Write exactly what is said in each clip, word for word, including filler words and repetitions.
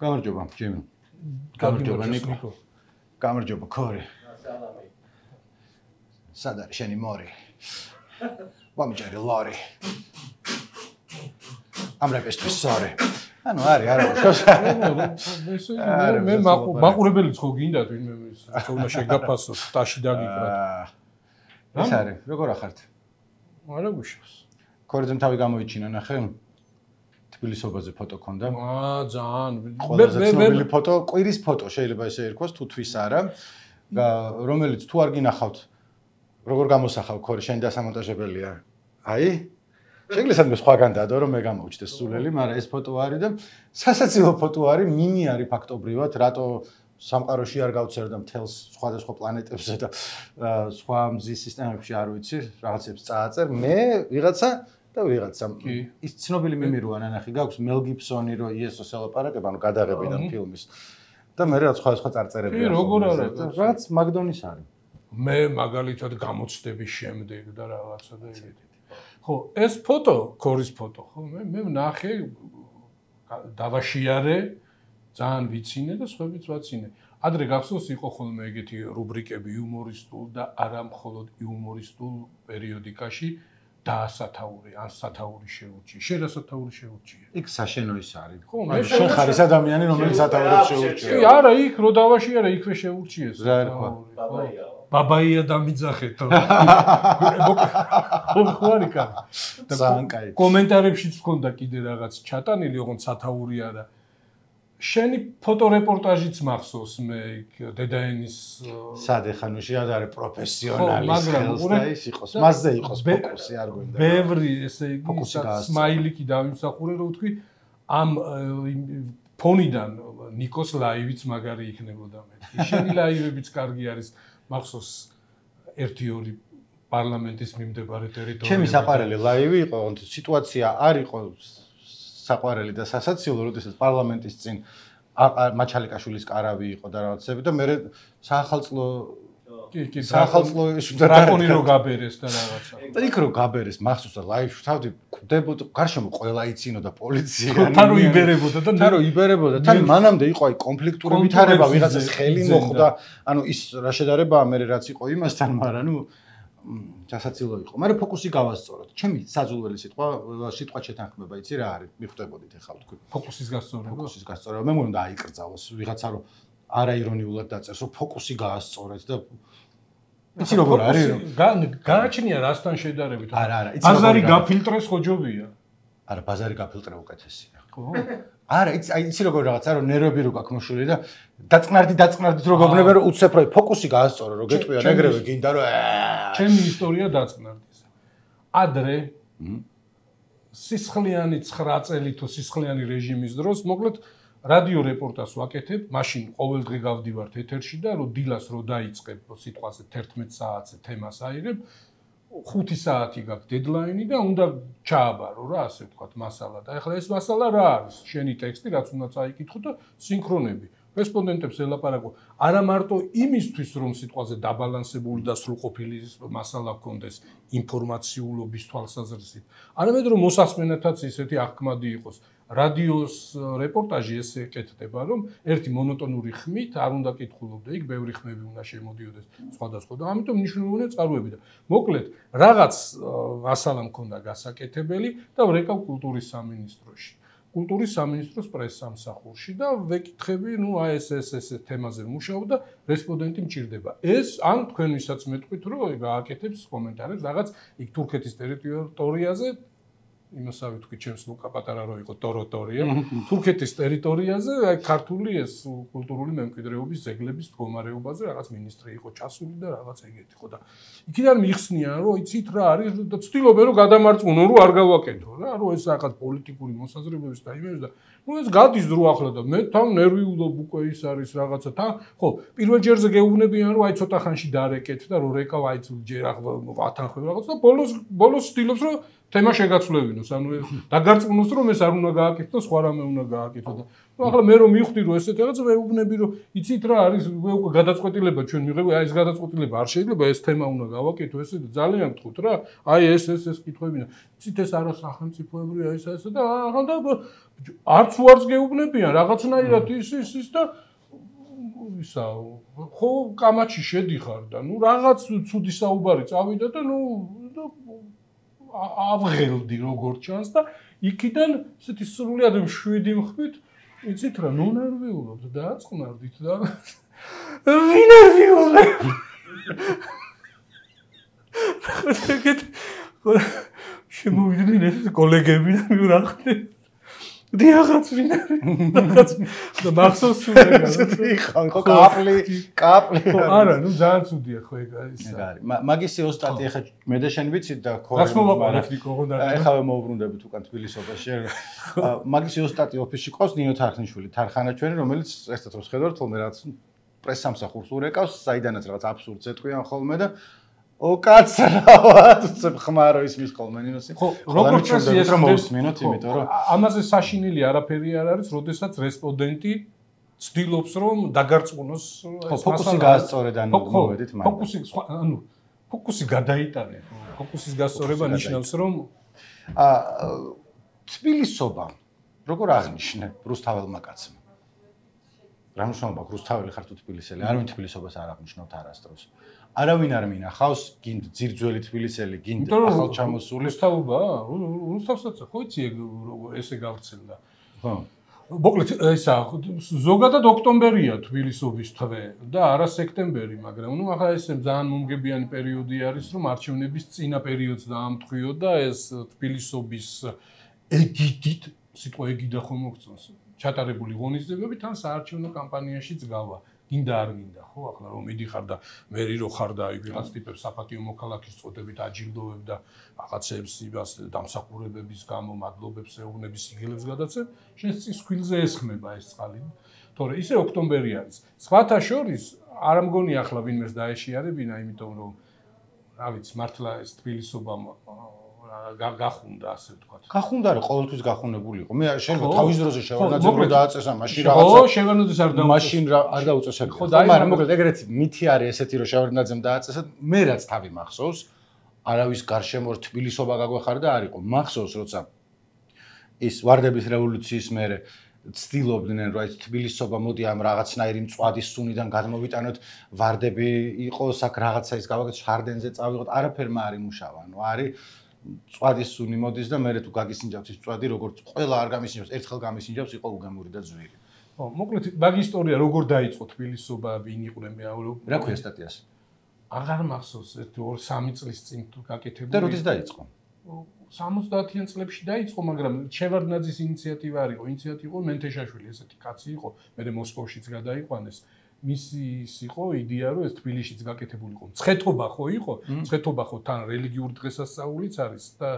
გამარჯობა, ჯიმი. გამარჯობა, ნიკო. გამარჯობა, ქორი. სალამი. სად არის შენი მორი? ვამიჯერე ლარი. ამრებისთვის სორი. ანუ არის, არა, მე მე მაყურებელიც ხო გინდათ ვინმე თქონა შეგაფასოს ტაში დაგიკრათ. ეს არის, როგორ ახართ? არა გუშავს. ქორიძემ თავი გამოიჩინა, ნახე? თბილისობაზე ფოტო ქონდა. აა, ძალიან. ყველაზე ცნობილი ფოტო, კვირის ფოტო შეიძლება ესე ერქვას, თუ თვის არა. რომელიც თუ არ გინახავთ, როგორ გამოსახავ ქორი, შენ დასამონტაჟებელია. აი? შეგვიძლია სადმე სხვაგან დადო, რომ მე გამოვჩდეს სულელი, მაგრამ ეს ფოტო არის და სასაცილო ფოტო არის, მინი არის ფაქტობრივად, რატო სამყაროში არ გავცერდა მთელს სხვადასხვა პლანეტებზე და სხვა მზის სისტემებში არ ვიცი, რაღაცებს წააწერ. მე ვიღაცა და ვიღაცა. ის ცნობილი მიმი როა ნანახი გაქვს მელ გიბსონი რო იესოს ელაპარაკება, ანუ გადაღებიდან ფილმის. და მე რაც სხვადასხვა წარწერები აქვს. კი, როგორ არა, რაც მაგდონის არის. მე მაგალითად გამოცდების შემდეგ და რაღაცა და ეგეთი. ხო, ეს ფოტო, ქორის ფოტო, ხო, მე მე ვნახე დავაშიარე, ძალიან ვიცინე და სხვაებიც ვაცინე. ადრე გახსოვს იყო ხოლმე ეგეთი რუბრიკები იუმორისტულ და არა მხოლოდ იუმორისტულ პერიოდიკაში დაასათაური, ან სათაური შეურჩი. შენ რა სათაური შეურჩია? იქ საშენო ის არის. ხო, მე შენ ხარ ის ადამიანი, რომელიც სათაურებს შეურჩია. კი, არა, იქ რო დავაშიარე, იქვე შეურჩიეს. რა ერქვა? ბაბაია. ბაბაია დამიძახეთო. ხო არის კაცი. ძალიან კაი. კომენტარებშიც მქონდა კიდე რაღაც ჩატანილი, ოღონდ სათაური არა. შენი ფოტორეპორტაჟიც მახსოვს მე იქ დედაენის სად ეხანუში არის პროფესიონალის ხელს და ის იყოს. მასზე იყოს ფოკუსი, არ გვინდა. ბევრი ესე იგი სმაილიკი დავიმსახურე, რომ ვთქვი ამ ფონიდან ნიკოს ლაივიც მაგარი იქნებოდა მეთქი. შენი ლაივებიც კარგი არის. მახსოვს ერთი ორი პარლამენტის მიმდებარე ტერიტორიები. ჩემი საყვარელი ლაივი იყო, სიტუაცია არ იყო საყვარელი და სასაცილო, როდესაც პარლამენტის წინ მაჩალიკაშვილის კარავი იყო და რაღაცები და მე საახალწლო კი, კი, საახალწლო ის დრაკონი რო გაბერეს და რაღაცა. და იქ რო გაბერეს, მახსოვს და ლაივში თავდი კვდებოდა, გარშემო ყველა იცინოდა პოლიცია. თან რო იბერებოდა და თან რო იბერებოდა, თან მანამდე იყო აი კონფლიქტური ვითარება, ვიღაცას ხელი მოხვდა, ანუ ის რა შედარებაა მე რაც იყო იმასთან, მაგრამ ნუ სასაცილო იყო. მაგრამ ფოკუსი გავასწოროთ. ჩემი საძულველი სიტყვა, სიტყვა შეთანხმება, იცი რა არის? მიხვდებოდით ახლა თქვი. ფოკუსის გასწორება. ფოკუსის გასწორება. მე მგონი დააიკრძალოს ვიღაცა რომ არაირონიულად დაწერს, რომ ფოკუსი გაასწორეთ და იცი როგორ არის? გააჩნია რასთან შედარებით? არა, არა, იცი ბაზარი გაფილტრეს ხოჯობია. არა, ბაზარი გაფილტრე უკეთესია. ხო. არა, იცი იცი როგორ რაღაცა რომ ნერვები რო გაქვს მოშული და დაწყნარდი დაწყნარდით რო გოგნება რომ უცებ რო ფოკუსი გაასწორო რომ გეტყვია ეგრევე გინდა რომ ჩემი ისტორია დაწყნარდის. ადრე სისხლიანი ცხრა წელი თუ სისხლიანი რეჟიმის დროს მოკლედ რადიო რეპორტაჟს ვაკეთებ, მაშინ ყოველდღე გავდივართ ეთერში და რო დილას რო დაიწყებ სიტყვაზე თერთმეტ საათზე თემას აიღებ, ხუთი საათი გაქვს დედლაინი და უნდა ჩააბარო რა, ასე ვთქვათ, მასალა და ეხლა ეს მასალა რა არის? შენი ტექსტი, რაც უნდა წაიკითხო და სინქრონები. რესპონდენტებს ელაპარაკო არა მარტო იმისთვის, რომ სიტყვაზე დაბალანსებული და სრულყოფილი მასალა გქონდეს ინფორმაციულობის თვალსაზრისით, არამედ რომ მოსასმენათაც ისეთი აღქმადი იყოს. რადიოს რეპორტაჟი ესე ეკეთდება, რომ ერთი მონოტონური ხმით არ უნდა კითხულობდე, იქ ბევრი ხმები უნდა შემოდიოდეს სხვადასხვა და ამიტომ მნიშვნელოვანია წყაროები და მოკლედ რაღაც მასალა მქონდა გასაკეთებელი და ვრეკავ კულტურის სამინისტროში. კულტურის სამინისტროს პრესსამსახურში და ვეკითხები, ნუ აი ეს ეს ეს თემაზე მუშაობ და რესპონდენტი მჭირდება. ეს ან თქვენ ვისაც მეტყვით, რომ გააკეთებს კომენტარებს რაღაც იქ თურქეთის ტერიტორიაზე იმასავე თქვი ჩემს ლუკა პატარა რო იყო ტოროტორია თურქეთის ტერიტორიაზე აი ქართული ეს კულტურული მემკვიდრეობის ზეგლების მდგომარეობაზე რაღაც მინისტრი იყო ჩასული და რაღაც ეგეთი ხო და იქიდან მიხსნიან რომ იცით რა არის და ცდილობენ რომ გადამარწმუნო რომ არ გავაკეთო რა რომ ეს რაღაც პოლიტიკური მოსაზრებების და იმების და ნუ ეს გადის დრო ახლა და მე თან ნერვიულობ უკვე ის არის რაღაცა თან ხო პირველ ჯერზე გეუბნებიან რომ აი ცოტა ხანში დარეკეთ და რომ რეკავ აი ჯერ ახლა ვათანხმებ რაღაც და ბოლოს ბოლოს ცდილობს რომ თემა შეგაცვლებინოს, ანუ დაგარწმუნოს რომ ეს არ უნდა გააკეთო, სხვა რამე უნდა გააკეთო და ნუ ახლა მე რომ მივხვდი რომ ესეთ რაღაც ვეუბნები რომ იცით რა არის უკვე გადაწყვეტილება ჩვენ მიღები, აი ეს გადაწყვეტილება არ შეიძლება, ეს თემა უნდა გავაკეთო, ესე ძალიან გთხოვთ რა, აი ეს ეს ეს კითხვები და იცით ეს არა სახელმწიფოებრივია ეს ესა და ახლა არც უარს გეუბნებიან რაღაცნაირად ის ის ის და ისა ხო კამაჩი შედიხარ და ნუ რაღაც ცუდი საუბარი წავიდა და ნუ ავღელდი როგორ ჩანს და იქიდან ესეთი სრულიად მშვიდი მხვით იცით რა ნუ ნერვიულობთ და აწყნარდით და ვინ ნერვიულობ შემოვიდნენ ეს კოლეგები და მივრახდნენ დიახაც ვინ არის და მახსოვს სულ ხან ხო კაპლი კაპლი არა ნუ ძალიან ცუდია ხო ეგ არის ეგ არის მაგისი ოსტატი ახლა მე და შენ ვიცით და ხო რას მოვაყარეთ ნიკო ხო და ახლა მოვბრუნდებით უკან თბილისობაში მაგისი ოსტატი ოფისში ყავს ნინო თარხნიშვილი თარხანაჩვენი რომელიც ერთად რომ შედავთ ხოლმე რაღაც პრესსამსახურს ურეკავს საიდანაც რაღაც აბსურდს ეთქვიან ხოლმე და ო კაცრავად უცებ ხმარო ის მის ხოლმე ნინოსი ხო როგორც წესი ეს რომ მოვსმინოთ იმიტომ რომ ამაზე საშინელი არაფერი არ არის როდესაც რესპონდენტი ცდილობს რომ დაგარწმუნოს ხო ფოკუსი გაასწორეთ ანუ მოვედით მაგრამ ფოკუსი ანუ ფოკუსი გადაიტანე ფოკუსის გასწორება ნიშნავს რომ ა თბილისობა როგორ აღნიშნე რუსთაველმა კაცმა რა მნიშვნელობა რუსთაველი ხარ თუ თბილისელი არავინ თბილისობას არ აღნიშნავთ არასდროს არავინ არ მინახავს გინდ ძირძველი თბილისელი გინდ ახალჩამოსული რუსთავობა რუსთავსაც ხო იცი ესე გავრცელდა ხო მოკლედ ესა ზოგადად ოქტომბერია თბილისობის თვე და არა სექტემბერი მაგრამ ნუ ახლა ესე ძალიან მომგებიანი პერიოდი არის რომ არჩევნების წინა პერიოდს დაამტყვიო და ეს თბილისობის ეგიდით სიტყვა ეგიდა ხომ მოგწონს ჩატარებული ღონისძიებები თან საარჩევნო კამპანიაშიც გავა გინდა არ გინდა ხო ახლა რომ მიდიხარ და მერი რო ხარ და აი ვიღაც ტიპებს საპატიო მოქალაქის წოდებით აჯილდოვებ და რაღაცებს იმას დამსახურებების გამო მადლობებს ეუბნების სიგელებს გადაცემ შენ წის ხვილზე ესხმება ეს წყალი თორე ისე ოქტომბერი არის სხვათა შორის არ მგონი ახლა ვინმეს დაეშიარებინა იმიტომ რომ რა ვიცი მართლა ეს თბილისობა გახუნდა ასე ვთქვათ. გახუნდა რა ყოველთვის გახუნებული იყო. მე შენ თავის დროზე შევარდნაძემ რო დააწესა მაშინ რაღაცა. ხო, შევარდნაძეს არ დაუწესა. მაშინ არ დაუწესა. ხო, მაგრამ მოკლედ ეგრეთ მითი არის ესეთი რომ შევარდნაძემ დააწესა. მე რაც თავი მახსოვს, არავის გარშემო თბილისობა გაგვეხარდა არ იყო. მახსოვს როცა ის ვარდების რევოლუციის მერე ცდილობდნენ რომ ეს თბილისობა მოდი ამ რაღაცნაირი მწვადის სუნიდან გადმოვიტანოთ ვარდები იყოს აქ რაღაცა ის გავაკეთოთ შარდენზე წავიღოთ არაფერმა არ იმუშავა. ანუ არის წვადის სუნი მოდის და მე თუ გაგისინჯავს ის წვადი როგორც ყველა არ გამისინჯავს ერთხელ გამისინჯავს იყო უგემური და ძვირი. ხო, მოკლედ მაგ ისტორია როგორ დაიწყო თბილისობა ვინ იყვნენ მე რა ქვია სტატიას? აღარ მახსოვს ერთი ორი სამი წლის წინ თუ გაკეთებული. და როდის დაიწყო? სამოცდაათიან წლებში დაიწყო, მაგრამ შევარდნაძის ინიციატივა არ იყო, ინიციატივა იყო მენთეშაშვილი, ესეთი კაცი იყო, მე მოსკოვშიც გადაიყვანეს. მისი ის იყო იდეა რომ ეს თბილისშიც გაკეთებული იყო. მცხეთობა ხო იყო? მცხეთობა ხო თან რელიგიური დღესასწაულიც არის და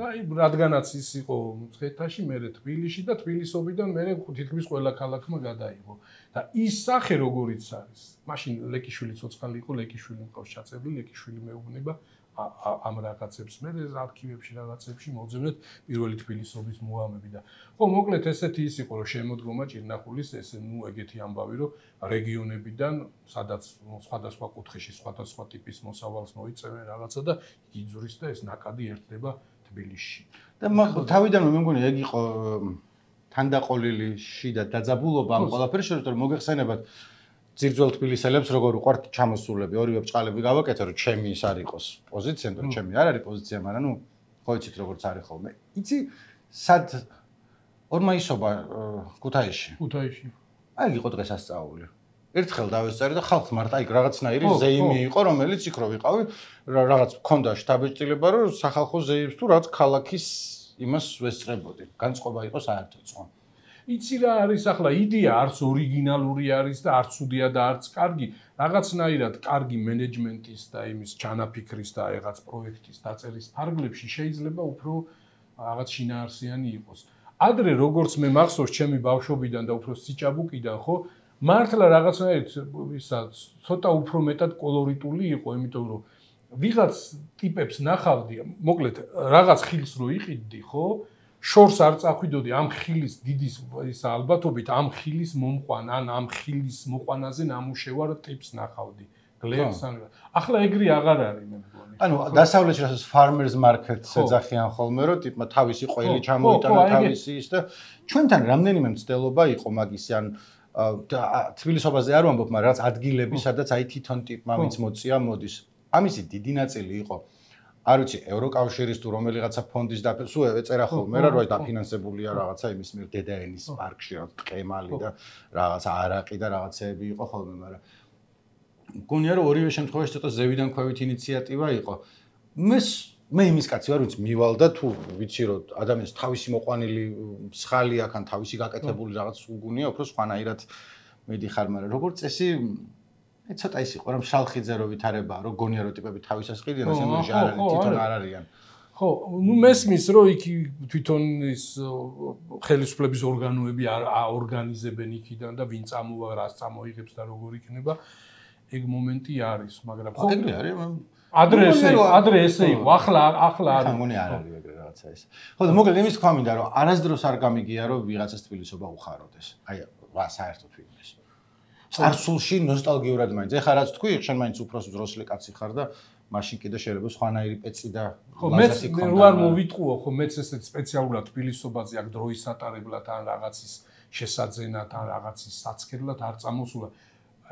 აი რადგანაც ის იყო მცხეთაში, მე თბილისში და თბილისობიდან მე თითქმის ყველა ქალაქმა გადაიღო. და ის სახე როგორიც არის. მაშინ ლეკიშვილი ცოცხალი იყო, ლეკიშვილი მყავს ჩაწებული, ლეკიშვილი მეუბნება ამ რაღაცებს მე არქივებში რაღაცებში მოძებნეთ პირველი თბილისობის მოამები და ხო მოკლედ ესეთი ის იყო რომ შემოდგომა ჭირნახულის ესე ნუ ეგეთი ამბავი რომ რეგიონებიდან სადაც სხვადასხვა კუთხეში სხვადასხვა ტიპის მოსავალს მოიწევენ რაღაცა და იძურის და ეს ნაკადი ერთდება თბილისში და თავიდანვე მე მგონი ეგ იყო თანდაყოლილი შიდა დაძაბულობა ამ ყველაფერს შორის რომ მოგეხსენებათ ძირძველ თბილისელებს როგორ უყვართ ჩამოსულები, ორივე ბჭყალები გავაკეთე, რომ ჩემი ის არ იყოს პოზიცია, რომ ჩემი არ არის პოზიცია, მაგრამ ნუ ხო იცით როგორც არის ხოლმე. იცი სად ორმაისობა ქუთაისში. ქუთაისში. აი იყო დღესასწაული. ერთხელ დავესწარი და ხალხს მარტო აი რაღაცნაირი ზეიმი იყო, რომელიც იქ რო ვიყავი, რაღაც მქონდა შტაბეჭდილება, რომ სახალხო ზეიმს თუ რაღაც ქალაქის იმას ვესწრებოდი. განწყობა იყო საერთოდ სხვა. იცი რა არის ახლა იდეა არც ორიგინალური არის და არც უდია და არც კარგი რაღაცნაირად კარგი მენეჯმენტის და იმის ჩანაფიქრის და რაღაც პროექტის დაწერის ფარგლებში შეიძლება უფრო რაღაც შინაარსიანი იყოს. ადრე როგორც მე მახსოვს ჩემი ბავშვობიდან და უფრო სიჭაბუკიდან ხო მართლა რაღაცნაირად ისა ცოტა უფრო მეტად კოლორიტული იყო, იმიტომ რომ ვიღაც ტიპებს ნახავდი, მოკლედ რაღაც ხილს რო იყიდდი, ხო? შორს არ წახვიდოდი ამ ხილის დიდის ისა ალბათობით ამ ხილის მომყვან ან ამ ხილის მოყვანაზე ნამუშევარ ტიპს ნახავდი. გლერს ან ახლა ეგრე აღარ არის მე მგონი. ანუ დასავლეთში რასაც farmers market-ს ეძახიან ხოლმე, რომ ტიპმა თავისი ყველი ჩამოიტანა თავისი ის და ჩვენთან რამდენიმე მცდელობა იყო მაგისი ან თბილისობაზე არ ვამბობ, მაგრამ რაც ადგილები, სადაც აი თვითონ ტიპმა ვინც მოწია მოდის. ამისი დიდი ნაწილი იყო არ ვიცი ევროკავშირის თუ რომელიღაცა ფონდის და სულ ეწერა ხოლმე რა რომ დაფინანსებულია რაღაცა იმის მიერ დედაენის პარკში რა ტყემალი და რაღაცა არაყი და რაღაცეები იყო ხოლმე მაგრამ მგონია რომ ორივე შემთხვევაში ცოტა ზევიდან ქვევით ინიციატივა იყო მე მე იმის კაცი ვარ ვინც მივალდა თუ ვიცი რომ ადამიანს თავისი მოყვანილი მსხალი აქ ან თავისი გაკეთებული რაღაც უგუნია უფრო სხვანაირად მიდიხარ მაგრამ როგორც წესი მე ცოტა ის იყო რომ შალხიძე რო ვითარებაა რომ გონია რომ ტიპები თავისას ყიდიან ეს ნუ არ არის თვითონ არ არიან ხო ნუ მესმის რომ იქ თვითონ ის ხელისუფლების ორგანოები აორგანიზებენ იქიდან და ვინ წამოვა რას წამოიღებს და როგორ იქნება ეგ მომენტი არის მაგრამ ხო ეგრე არის ადრე ესე ადრე ესე იყო ახლა ახლა არ მგონი არ არის ეგრე რაღაცა ეს ხო და მოკლედ იმის თქვა მინდა რომ არასდროს არ გამიგია რომ ვიღაცას თბილისობა უხაროდეს აი რა საერთოდ ვიგდეს წარსულში ნოსტალგიურად მაინც ეხლა რაც თქვი შენ მაინც უფროს ძროსლი კაცი ხარ და მაშინ კიდე შეიძლება სხვანაირი პეცი და ხო მეც მე რო არ მოვიტყუო ხო მეც ესეთ სპეციალურად თბილისობაზე აქ დროის სატარებლად ან რაღაცის შესაძენად ან რაღაცის საცქერლად არ წამოსულა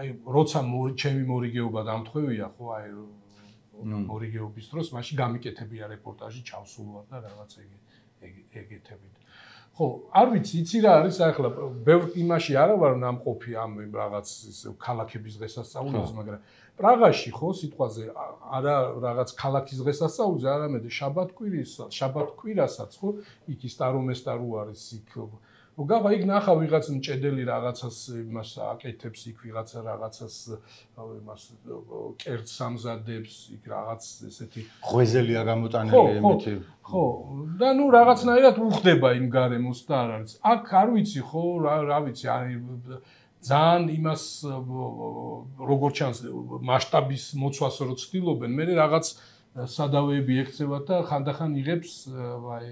აი როცა ჩემი მორიგეობა დამთხვევია ხო აი მორიგეობის დროს მაშინ გამიკეთებია რეპორტაჟი ჩავსულვარ და რაღაც ეგეთებით ხო, არ ვიცი, იცი რა არის ახლა ბევრ იმაში არა ვარ ნამყოფი ამ რაღაც ქალაქების დღესასწაულზე, მაგრამ პრაღაში ხო სიტყვაზე არა რაღაც ქალაქის დღესასწაულზე, არამედ შაბათ-კვირის, შაბათ-კვირასაც ხო, იქ ის სტარომესტა რო არის იქ რომ გაღა იქ ნახა ვიღაც მჭედელი რაღაცას იმას აკეთებს იქ ვიღაცა რაღაცას იმას კერძს ამზადებს იქ რაღაც ესეთი ღვეზელია გამოტანილი იმითი ხო და ნუ რაღაცნაირად უხდება იმ გარემოს და არ არის აქ არ ვიცი ხო რა ვიცი არის ძალიან იმას როგორ ჩანს მასშტაბის მოცვას რო ცდილობენ მე რაღაც სადავეები ექცევათ და ხანდახან იღებს აი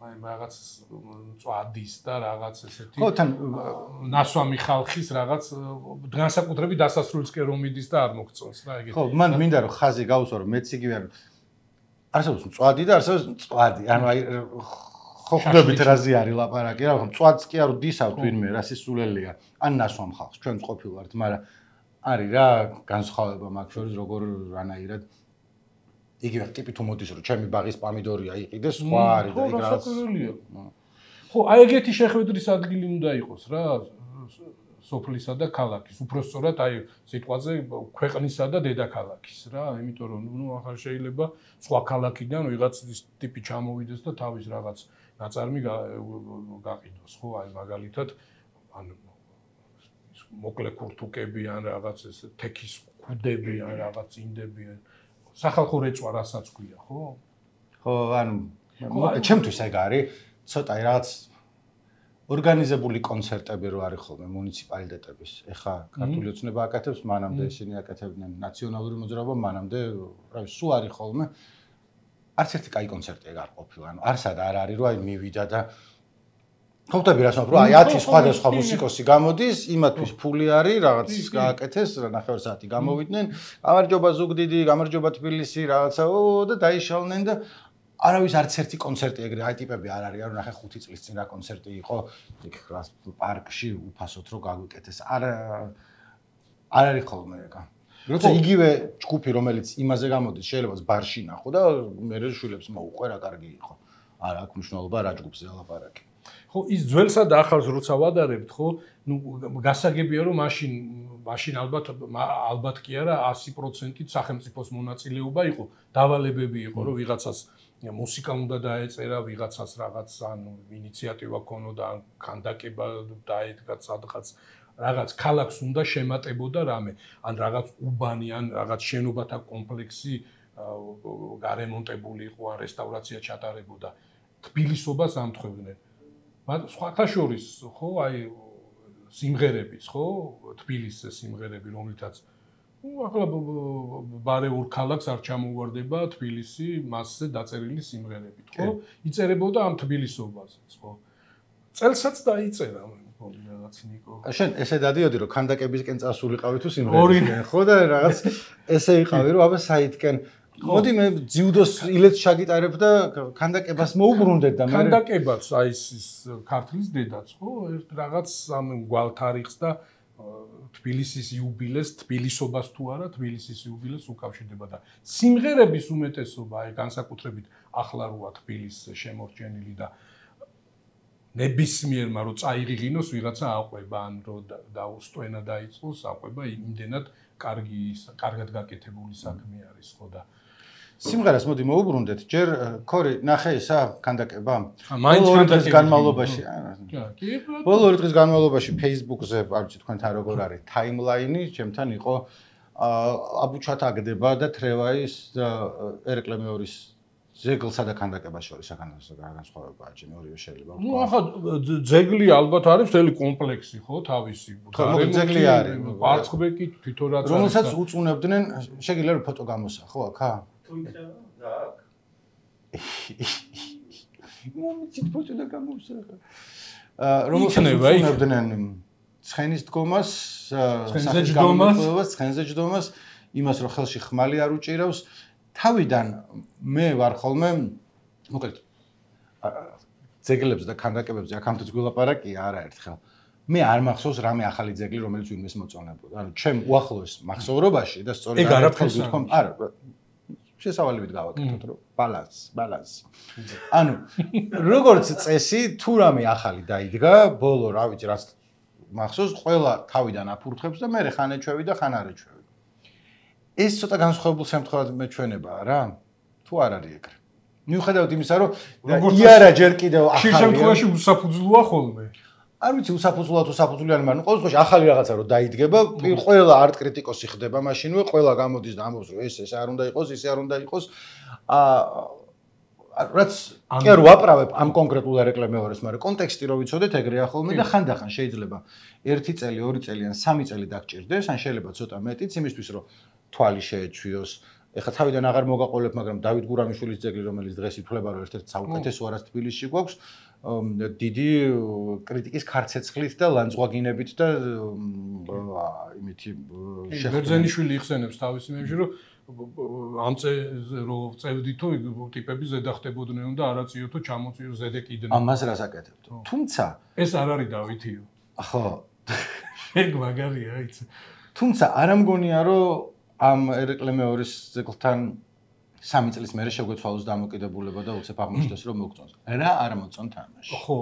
აი რაღაც წვადის და რაღაც ესეთი ხო თან ნასვამი ხალხის რაღაც განსაკუთრებით დასასრულისკენ რომ მიდის და არ მოგწონს რა ეგეთი ხო მან მინდა რომ ხაზი გავუსვა რომ მეც იგივე არ არსებობს წვადი და არსებობს წვადი ანუ აი ხო ხვდებით რაზე არის ლაპარაკი რა ხო წვადს კი არ ვდისავთ ვინმე რა სისულელია ან ნასვამ ხალხს ჩვენც ყოფილვართ მაგრამ არის რა განსხვავება მაგ შორის როგორ რანაირად იგივე ტიპი თუ მოდის რომ ჩემი ბაღის პომიდორია იყიდეს სხვა არის და ეგ რაღაც ხო აი ეგეთი შეხვედრის ადგილი უნდა იყოს რა სოფლისა და ქალაქის უпростоრად აი სიტყვაზე ქვეყნისა და დედაქალაქის რა იმიტომ რომ ნუ ახლა შეიძლება სხვა ქალაქიდან ვიღაც ტიპი ჩამოვიდეს და თავის რაღაც ნაწარმი გაყიდოს ხო აი მაგალითად ან მოკლე ქურთუკები ან რაღაც ეს თექის ქუდები ან რაღაც ინდები სახალხო რეწვა რასაც ქვია, ხო? ხო, ანუ ჩემთვის ეგ არის, ცოტა რაღაც ორგანიზებული კონცერტები რო არის ხოლმე მუნიციპალიტეტების. ეხა ქართული ოცნება აკეთებს, მანამდე ისინი აკეთებდნენ ნაციონალური მოძრაობა, მანამდე, რა ვიცი, სულ არის ხოლმე. არც ერთი კაი კონცერტი ეგ არ ყოფილა, ანუ არსად არ არის, რომ აი მივიდა და ხვდები რას ვამბობ, აი ათი სხვადასხვა მუსიკოსი გამოდის, იმათვის ფული არის, რაღაც გააკეთეს, ნახევარ საათი გამოვიდნენ, გამარჯობა ზუგდიდი, გამარჯობა თბილისი, რაღაცაო და დაიშალნენ და არავის არც ერთი კონცერტი ეგრე აი ტიპები არ არის, რომ ნახე ხუთი წლის წინ რა კონცერტი იყო, იქ რა პარკში უფასოდ რო გაგვიკეთეს. არ არ არის ხოლმე ეგა. როცა იგივე ჯგუფი რომელიც იმაზე გამოდის, შეიძლება ბარში ნახო და მე შვილებს მოუყვე რა კარგი იყო. არა აქვს მნიშვნელობა რა ჯგუფზე ალაპარაკი. ხო ის ძველსა და ახალს როცა ვადარებთ ხო ნუ გასაგებია რომ მაშინ მაშინ ალბათ ალბათ კი არა ასი პროცენტით სახელმწიფოს მონაწილეობა იყო დავალებები იყო რომ ვიღაცას მუსიკა უნდა დაეწერა ვიღაცას რაღაც ანუ ინიციატივა ქონოდა ან ქანდაკება დაედგა სადღაც რაღაც ქალაქს უნდა შემატებოდა რამე ან რაღაც უბანი ან რაღაც შენობათა კომპლექსი გარემონტებული იყო ან რესტავრაცია ჩატარებოდა თბილისობას ამთხვევდნენ მაგრამ სხვათა შორის ხო აი სიმღერების ხო თბილისის სიმღერები რომლითაც ну ახლა ბარეულ ქალაქს არ ჩამოვარდება თბილისი მასზე დაწერილი სიმღერებით ხო იწერებოდა ამ თბილისობაზეც ხო წელსაც დაიწერა მგონი რაღაც რაღაც ნიკო. შენ ესე დადიოდი რომ ქანდაკებისკენ წასულიყავი თუ სიმღერისკენ, ხო და რაღაც ესე იყავი რომ აბა საითკენ მოდი მე ძიუდოს ილეთს შაგიტარებ და ქანდაკებას მოუბრუნდეთ და მე ქანდაკებაც აი ის ქართლის დედაც ხო ერთ რაღაც ამ გვალთარიხს და თბილისის იუბილეს, თბილისობას თუ არა, თბილისის იუბილეს უკავშირდება და სიმღერების უმეტესობა აი განსაკუთრებით ახლა როა თბილისს შემორჩენილი და ნებისმიერმა რო წაიღიღინოს ვიღაცა აყვება ან რო დაუსტვენა დაიწყოს აყვება იმდენად კარგი კარგად გაკეთებული საქმე არის ხო და სიმღერას მოდი მოუბრუნდეთ ჯერ ქორი ნახე ისა ქანდაკება მაინც ქანდაკების განმავლობაში კი ბოლო ორი დღის განმავლობაში Facebook-ზე არ ვიცი თქვენთან როგორ არის ტაიმლაინი ჩემთან იყო აბუჩათ აგდება და თრევაის და ერეკლე მეორის ზეგლსა და ქანდაკებას შორის განსხვავებაა ჩემი ორივე შეიძლება ნუ ახლა ძეგლი ალბათ არის მთელი კომპლექსი ხო თავისი ხო ძეგლი არის პარცხბეკი თვითონ რაც არის რომელსაც უწუნებდნენ შეგიძლია რომ ფოტო გამოსა ხო აქა თუ იქნება და აქ მომიცით ფოტო და გამოსა რომელსაც უწუნებდნენ ცხენის დგომას ცხენზე ცხენზე ჯდომას იმას რომ ხელში ხმალი არ უჭირავს თავიდან მე ვარ ხოლმე მოკლედ ძეგლებზე და ქანდაკებებზე აქამდე გულაპარაკია არაერთხელ მე არ მახსოვს რამე ახალი ძეგლი რომელიც ვინმეს მოწონებოდა ანუ ჩემ უახლოეს მახსოვრობაში და სწორედ ეგ არაფერს ვთქვამ არა შესავალებით გავაკეთოთ რომ ბალანს ბალანს ანუ როგორც წესი თუ რამე ახალი დაიდგა ბოლო რა ვიცი რაც მახსოვს ყველა თავიდან აფურთხებს და მე ხან ეჩვევი და ხან არ ეჩვევი ეს ცოტა განსხვავებულ შემთხვევად მეჩვენებაა რა თუ არ არის ეგრე მიუხედავად იმისა რომ იარა ჯერ კიდევ ახალია ხშირ შემთხვევაში უსაფუძვლოა ხოლმე არ ვიცი უსაფუძვლოა თუ საფუძვლიანი მაგრამ ყოველ შემთხვევაში ახალი რაღაცა რომ დაიდგება ყველა არტ კრიტიკოსი ხდება მაშინვე ყველა გამოდის და ამბობს რომ ეს ეს არ უნდა იყოს ისე არ უნდა იყოს აა რაც კი არ ვაправებ ამ კონკრეტულ ერეკლემეორეს მაგრამ კონტექსტი რო ვიცოდეთ ეგრეა ხოლმე და ხანდახან შეიძლება ერთი წელი ორი წელი ან სამი წელი დაგჭირდეს ან შეიძლება ცოტა მეტიც იმისთვის რომ თვალი შეეჩვიოს. ეხლა თავიდან აღარ მოგაყოლებ, მაგრამ დავით გურამიშვილის ძეგლი, რომელიც დღეს ითვლება, რომ ერთ-ერთი საუკეთესო არას თბილისში გვაქვს, დიდი კრიტიკის ქარცეცხლით და ლანძღვაგინებით და იმითი ბერძენიშვილი იხსენებს თავის იმებში, რომ ამ წეზე რო წევდითო ტიპები ზედა ხდებოდნენ და არაწიოთო ჩამოწიო ზედე კიდნე. ამას რას აკეთებთ? თუმცა ეს არ არის დავითიო. ხო. ეგ მაგარია, იცი. თუმცა არ ამგონია, რომ ამ ერეკლემეორის ძეგლთან სამი წლის მერე შეგვეცვალოს დამოკიდებულება და უცებ აღმოჩნდეს რომ მოგწონს. რა არ მოწონთ ამაში? ხო.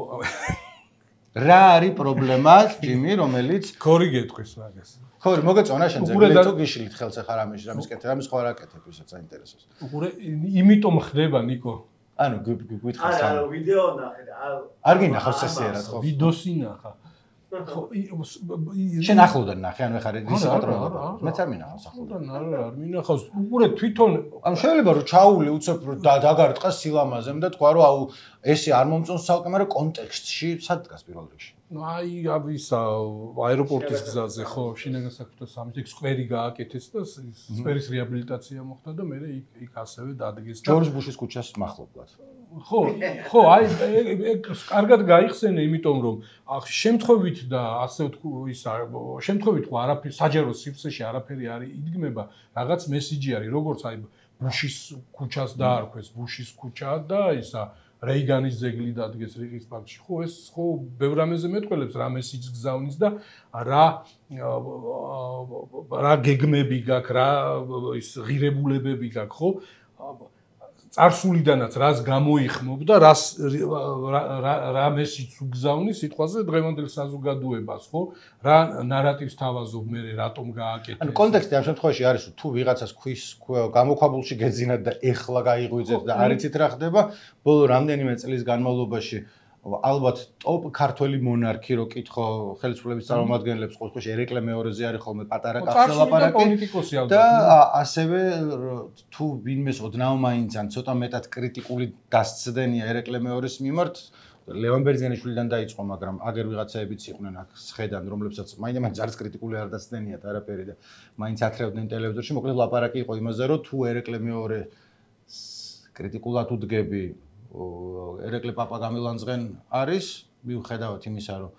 რა არის პრობლემა, ჯიმი, რომელიც ქორი გეტყვის მაგას. ქორი, მოგეწონა შენ ძეგლი თუ გიშლით ხელს ახლა რამეში, რამის კეთე, რამის ხო არ აკეთებ, ისაც საინტერესოს. უყურე, იმიტომ ხდება, ნიკო. ანუ გვითხრას სამ. არა, ვიდეო ნახე და არ გინახავს წესიერად ხო? ვიდეოსი ნახა. ხო, შენ ახლოდან ნახე, ანუ ეხა ის პატრონობა. მეც არ მინახავს ახლოდან. არა, არ მინახავს. უყურე თვითონ ანუ შეიძლება რომ ჩაული უცებ დაგარტყა სილამაზემ და თქვა რომ აუ ესე არ მომწონს ცალკე, მაგრამ კონტექსტში სად დგას პირველ რიგში? ნუ აი ისა აეროპორტის გზაზე ხო, შინაგან საქმეთა სამინისტროს სკვერი გააკეთეს და სკვერის რეაბილიტაცია მოხდა და მე იქ ასევე დადგეს და ჯორჯ ბუშის ქუჩას მახლობლად. ხო, ხო, აი ეგ კარგად გაიხსენე, იმიტომ რომ შემთხვევით და ასე ვთქვი, ისა შემთხვევით ხო არაფერი საჯარო სივრცეში არაფერი არ იდგმება, რაღაც მესიჯი არის, როგორც აი ბუშის ქუჩას დაარქვეს, ბუშის ქუჩა და ისა რეიგანის ძეგლი დადგეს რიყის პარკში. ხო, ეს ხო ბევრ რამეზე მეტყველებს, რა მესიჯს გზავნის და რა რა გეგმები გაქვს, რა ის ღირებულებები გაქვს, ხო? წარსულიდანაც რას გამოიხმობ და რას რა მესიჯს უგზავნის სიტყვაზე დღევანდელ საზოგადოებას, ხო? რა ნარატივს თავაზობ მე რატომ გააკეთე? ანუ კონტექსტი ამ შემთხვევაში არის, თუ ვიღაცას ქვის გამოქვაბულში გეძინათ და ეხლა გაიღვიძეთ და არ იცით რა ხდება, ბოლო რამდენიმე წლის განმავლობაში ალბათ ტოპ ქართველი მონარქი რო კითხო ხელისუფლების წარმომადგენლებს ყოველთვის ერეკლე მეორეზე არის ხოლმე პატარა კაცი ლაპარაკი და ასევე თუ ვინმეს ოდნავ მაინც ან ცოტა მეტად კრიტიკული დასცდენია ერეკლე მეორეს მიმართ ლევან ბერძენიშვილიდან დაიწყო, მაგრამ აგერ ვიღაცაებიც იყვნენ აქ სხედან, რომლებსაც მაინც არის კრიტიკული არ დასცდენიათ არაფერი და მაინც ათრევდნენ ტელევიზორში, მოკლედ ლაპარაკი იყო იმაზე, რომ თუ ერეკლე მეორე კრიტიკულად უდგები ერეკლე პაპა გამილანძღენ არის, მიუხედავად იმისა, რომ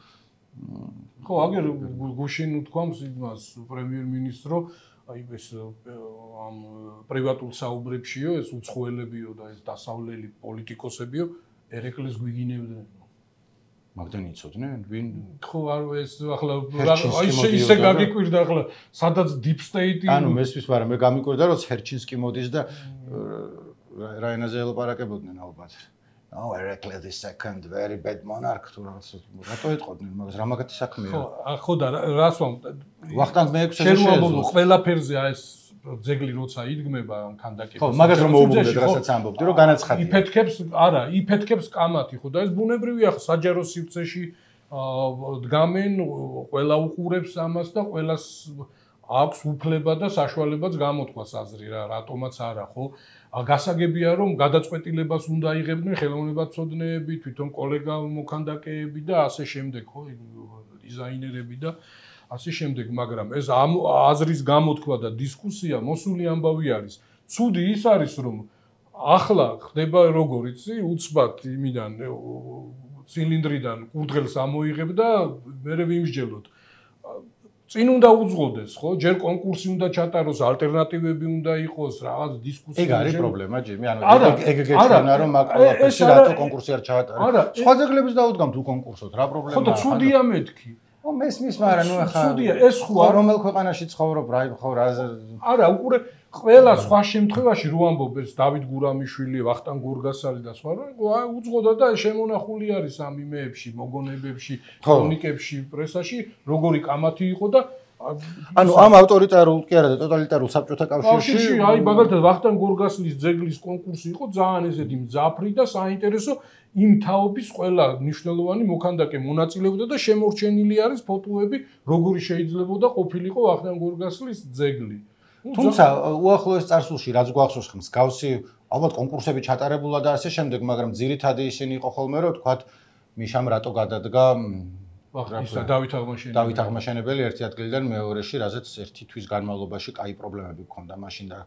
ხო, აგერ გუშინ უთქვამს იმას პრემიერ-მინისტრო, აი ეს ამ პრივატულ საუბრებშიო, ეს უცხოელებიო და ეს დასავლელი პოლიტიკოსებიო ერეკლეს გვიგინებდნენ. მაგდან იცოდნენ ვინ? ხო, არ ეს ახლა აი ისე გაგიკვირდა ახლა სადაც deep state-ი ანუ მესმის, მაგრამ მე გამიკვირდა რომ ჰერჩინსკი მოდის და რა ენაზე ელაპარაკებოდნენ ალბათ. Oh, Heracles the second, very bad monarch თუ რაღაც რატო ეტყოდნენ მაგას, რა მაგათი საქმეა? ხო, ხო და რას ვამ ვახტანგ მეექვსეზე შეეძლო ყველაფერზე აი ეს ძეგლი როცა იდგმება ქანდაკების. ხო, მაგას რომ მოუბრუნდეთ, რასაც ამბობდი, რომ განაცხადია. იფეთქებს, არა, იფეთქებს კამათი, ხო და ეს ბუნებრივია, საჯარო სივრცეში დგამენ, ყველა უყურებს ამას და ყველას აქვს უფლება და საშუალებაც გამოთქვას აზრი რა, რატომაც არა, ხო? გასაგებია რომ გადაწყვეტილებას უნდა იღებდნენ ხელოვნებაცოდნეები, თვითონ კოლეგა მოქანდაკეები და ასე შემდეგ, ხო, დიზაინერები და ასე შემდეგ, მაგრამ ეს ამ აზრის გამოთქვა და დისკუსია მოსული ამბავი არის. ცუდი ის არის რომ ახლა ხდება როგორ იცი, უცბად იმიდან ცილინდრიდან კურდღელს ამოიღებ და მერე ვიმსჯელოთ. წინ უნდა უძღოდეს, ხო? ჯერ კონკურსი უნდა ჩატაროს, ალტერნატივები უნდა იყოს, რაღაც დისკუსია. ეგ არის პრობლემა, ჯიმი, ანუ ეგ ეგეჩვენა რომ მაგ ყველაფერში რატო კონკურსი არ ჩაატარეს. სხვა ძეგლებს დაუდგამთ უკონკურსოთ, რა პრობლემაა? ხო და ცუდია მეთქი. ო მესმის, მაგრამ ნუ ახლა ცუდია, ეს ხო რომელ ქვეყანაში ცხოვრობ, რა ხო რა არა, უყურე ყველა სხვა შემთხვევაში რო ამბობ ეს დავით გურამიშვილი, ვახტანგ გორგასალი და სხვა, რა უძღოდა და შემონახული არის ამ იმეებში, მოგონებებში, ქრონიკებში, პრესაში, როგორი კამათი იყო და ანუ ამ ავტორიტარულ კი არა და ტოტალიტარულ საბჭოთა კავშირში აი მაგალითად ვახტანგ გორგასლის ძეგლის კონკურსი იყო ძალიან ესეთი მძაფრი და საინტერესო იმ თაობის ყველა მნიშვნელოვანი მოქანდაკე მონაწილეობდა და შემორჩენილი არის ფოტოები, როგორი შეიძლებოდა ყოფილიყო ვახტანგ გორგასლის ძეგლი. თუმცა უახლოეს წარსულში რაც გვახსოვს მსგავსი ალბათ კონკურსები ჩატარებულა და ასე შემდეგ, მაგრამ ძირითადი ისინი იყო ხოლმე რომ თქვათ მიშამ რატო გადადგა ისა დავით აღმაშენებელი დავით აღმაშენებელი ერთი ადგილიდან მეორეში, რაზეც ერთი თვის განმავლობაში კაი პრობლემები გქონდა მაშინ და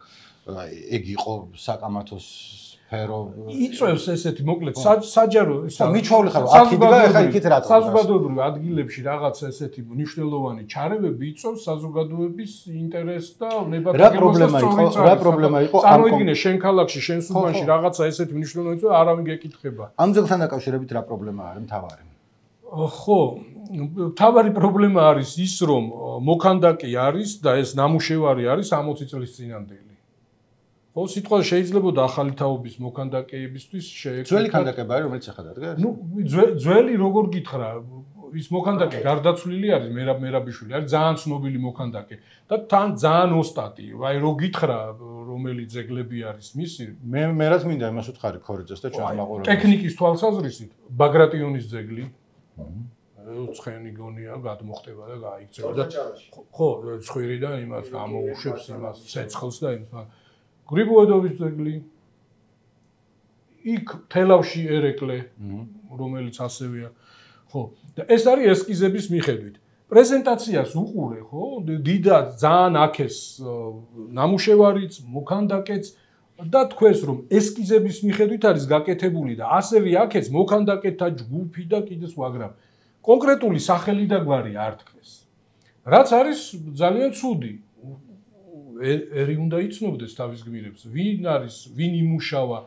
ეგ იყო საკამათოს სფერო იწევს ესეთი მოკლედ საჯარო ისა მიჩვეული ხარ აქიდგა ახლა იქით რატო საზოგადოებრივ ადგილებში რაღაც ესეთი მნიშვნელოვანი ჩარევები იწევს საზოგადოების ინტერესს და ნებათაღებას რა პრობლემა იყო რა პრობლემა იყო წარმოიდგინე შენ ქალაქში შენ სუბანში რაღაცა ესეთი მნიშვნელოვანი და არავინ გეკითხება ამ ძეგლთან დაკავშირებით რა პრობლემა არის მთავარი ხო მთავარი პრობლემა არის ის რომ მოქანდაკე არის და ეს ნამუშევარი არის სამოცი წლის წინანდელი ხო სიტყვა შეიძლება ახალი თაობის მოქანდაკეებისთვის შეექმნათ ძველი ქანდაკება არის რომელიც ახლა დადგეს ნუ ძველი როგორ გითხრა ის მოქანდაკე გარდაცვლილი არის მერაბ მერაბიშვილი არის ძალიან ცნობილი მოქანდაკე და თან ძალიან ოსტატი აი რო გითხრა რომელი ძეგლები არის მისი მე მე რაც მინდა იმას უთხარი ქორიძეს და ჩვენს მაყურებელს ტექნიკის თვალსაზრისით ბაგრატიონის ძეგლი ცხენი გონია გადმოხტება და გაიქცევა და ხო ცხვირიდან იმას გამოუშვებს იმას ცეცხლს და იმას გრიბოედოვის ძეგლი იქ თელავში ერეკლე რომელიც ასევეა ხო და ეს არის ესკიზების მიხედვით პრეზენტაციას უყურე ხო დიდად ძალიან აქეს ნამუშევარიც მოქანდაკეც და თქვენს რომ ესკიზების მიხედვით არის გაკეთებული და ასევე აქეს მოქანდაკეთა ჯგუფი და კიდე სხვა მაგრამ კონკრეტული სახელი და გვარი არ თქვეს რაც არის ძალიან ცუდი ერი უნდა იცნობდეს თავის გმირებს ვინ არის ვინ იმუშავა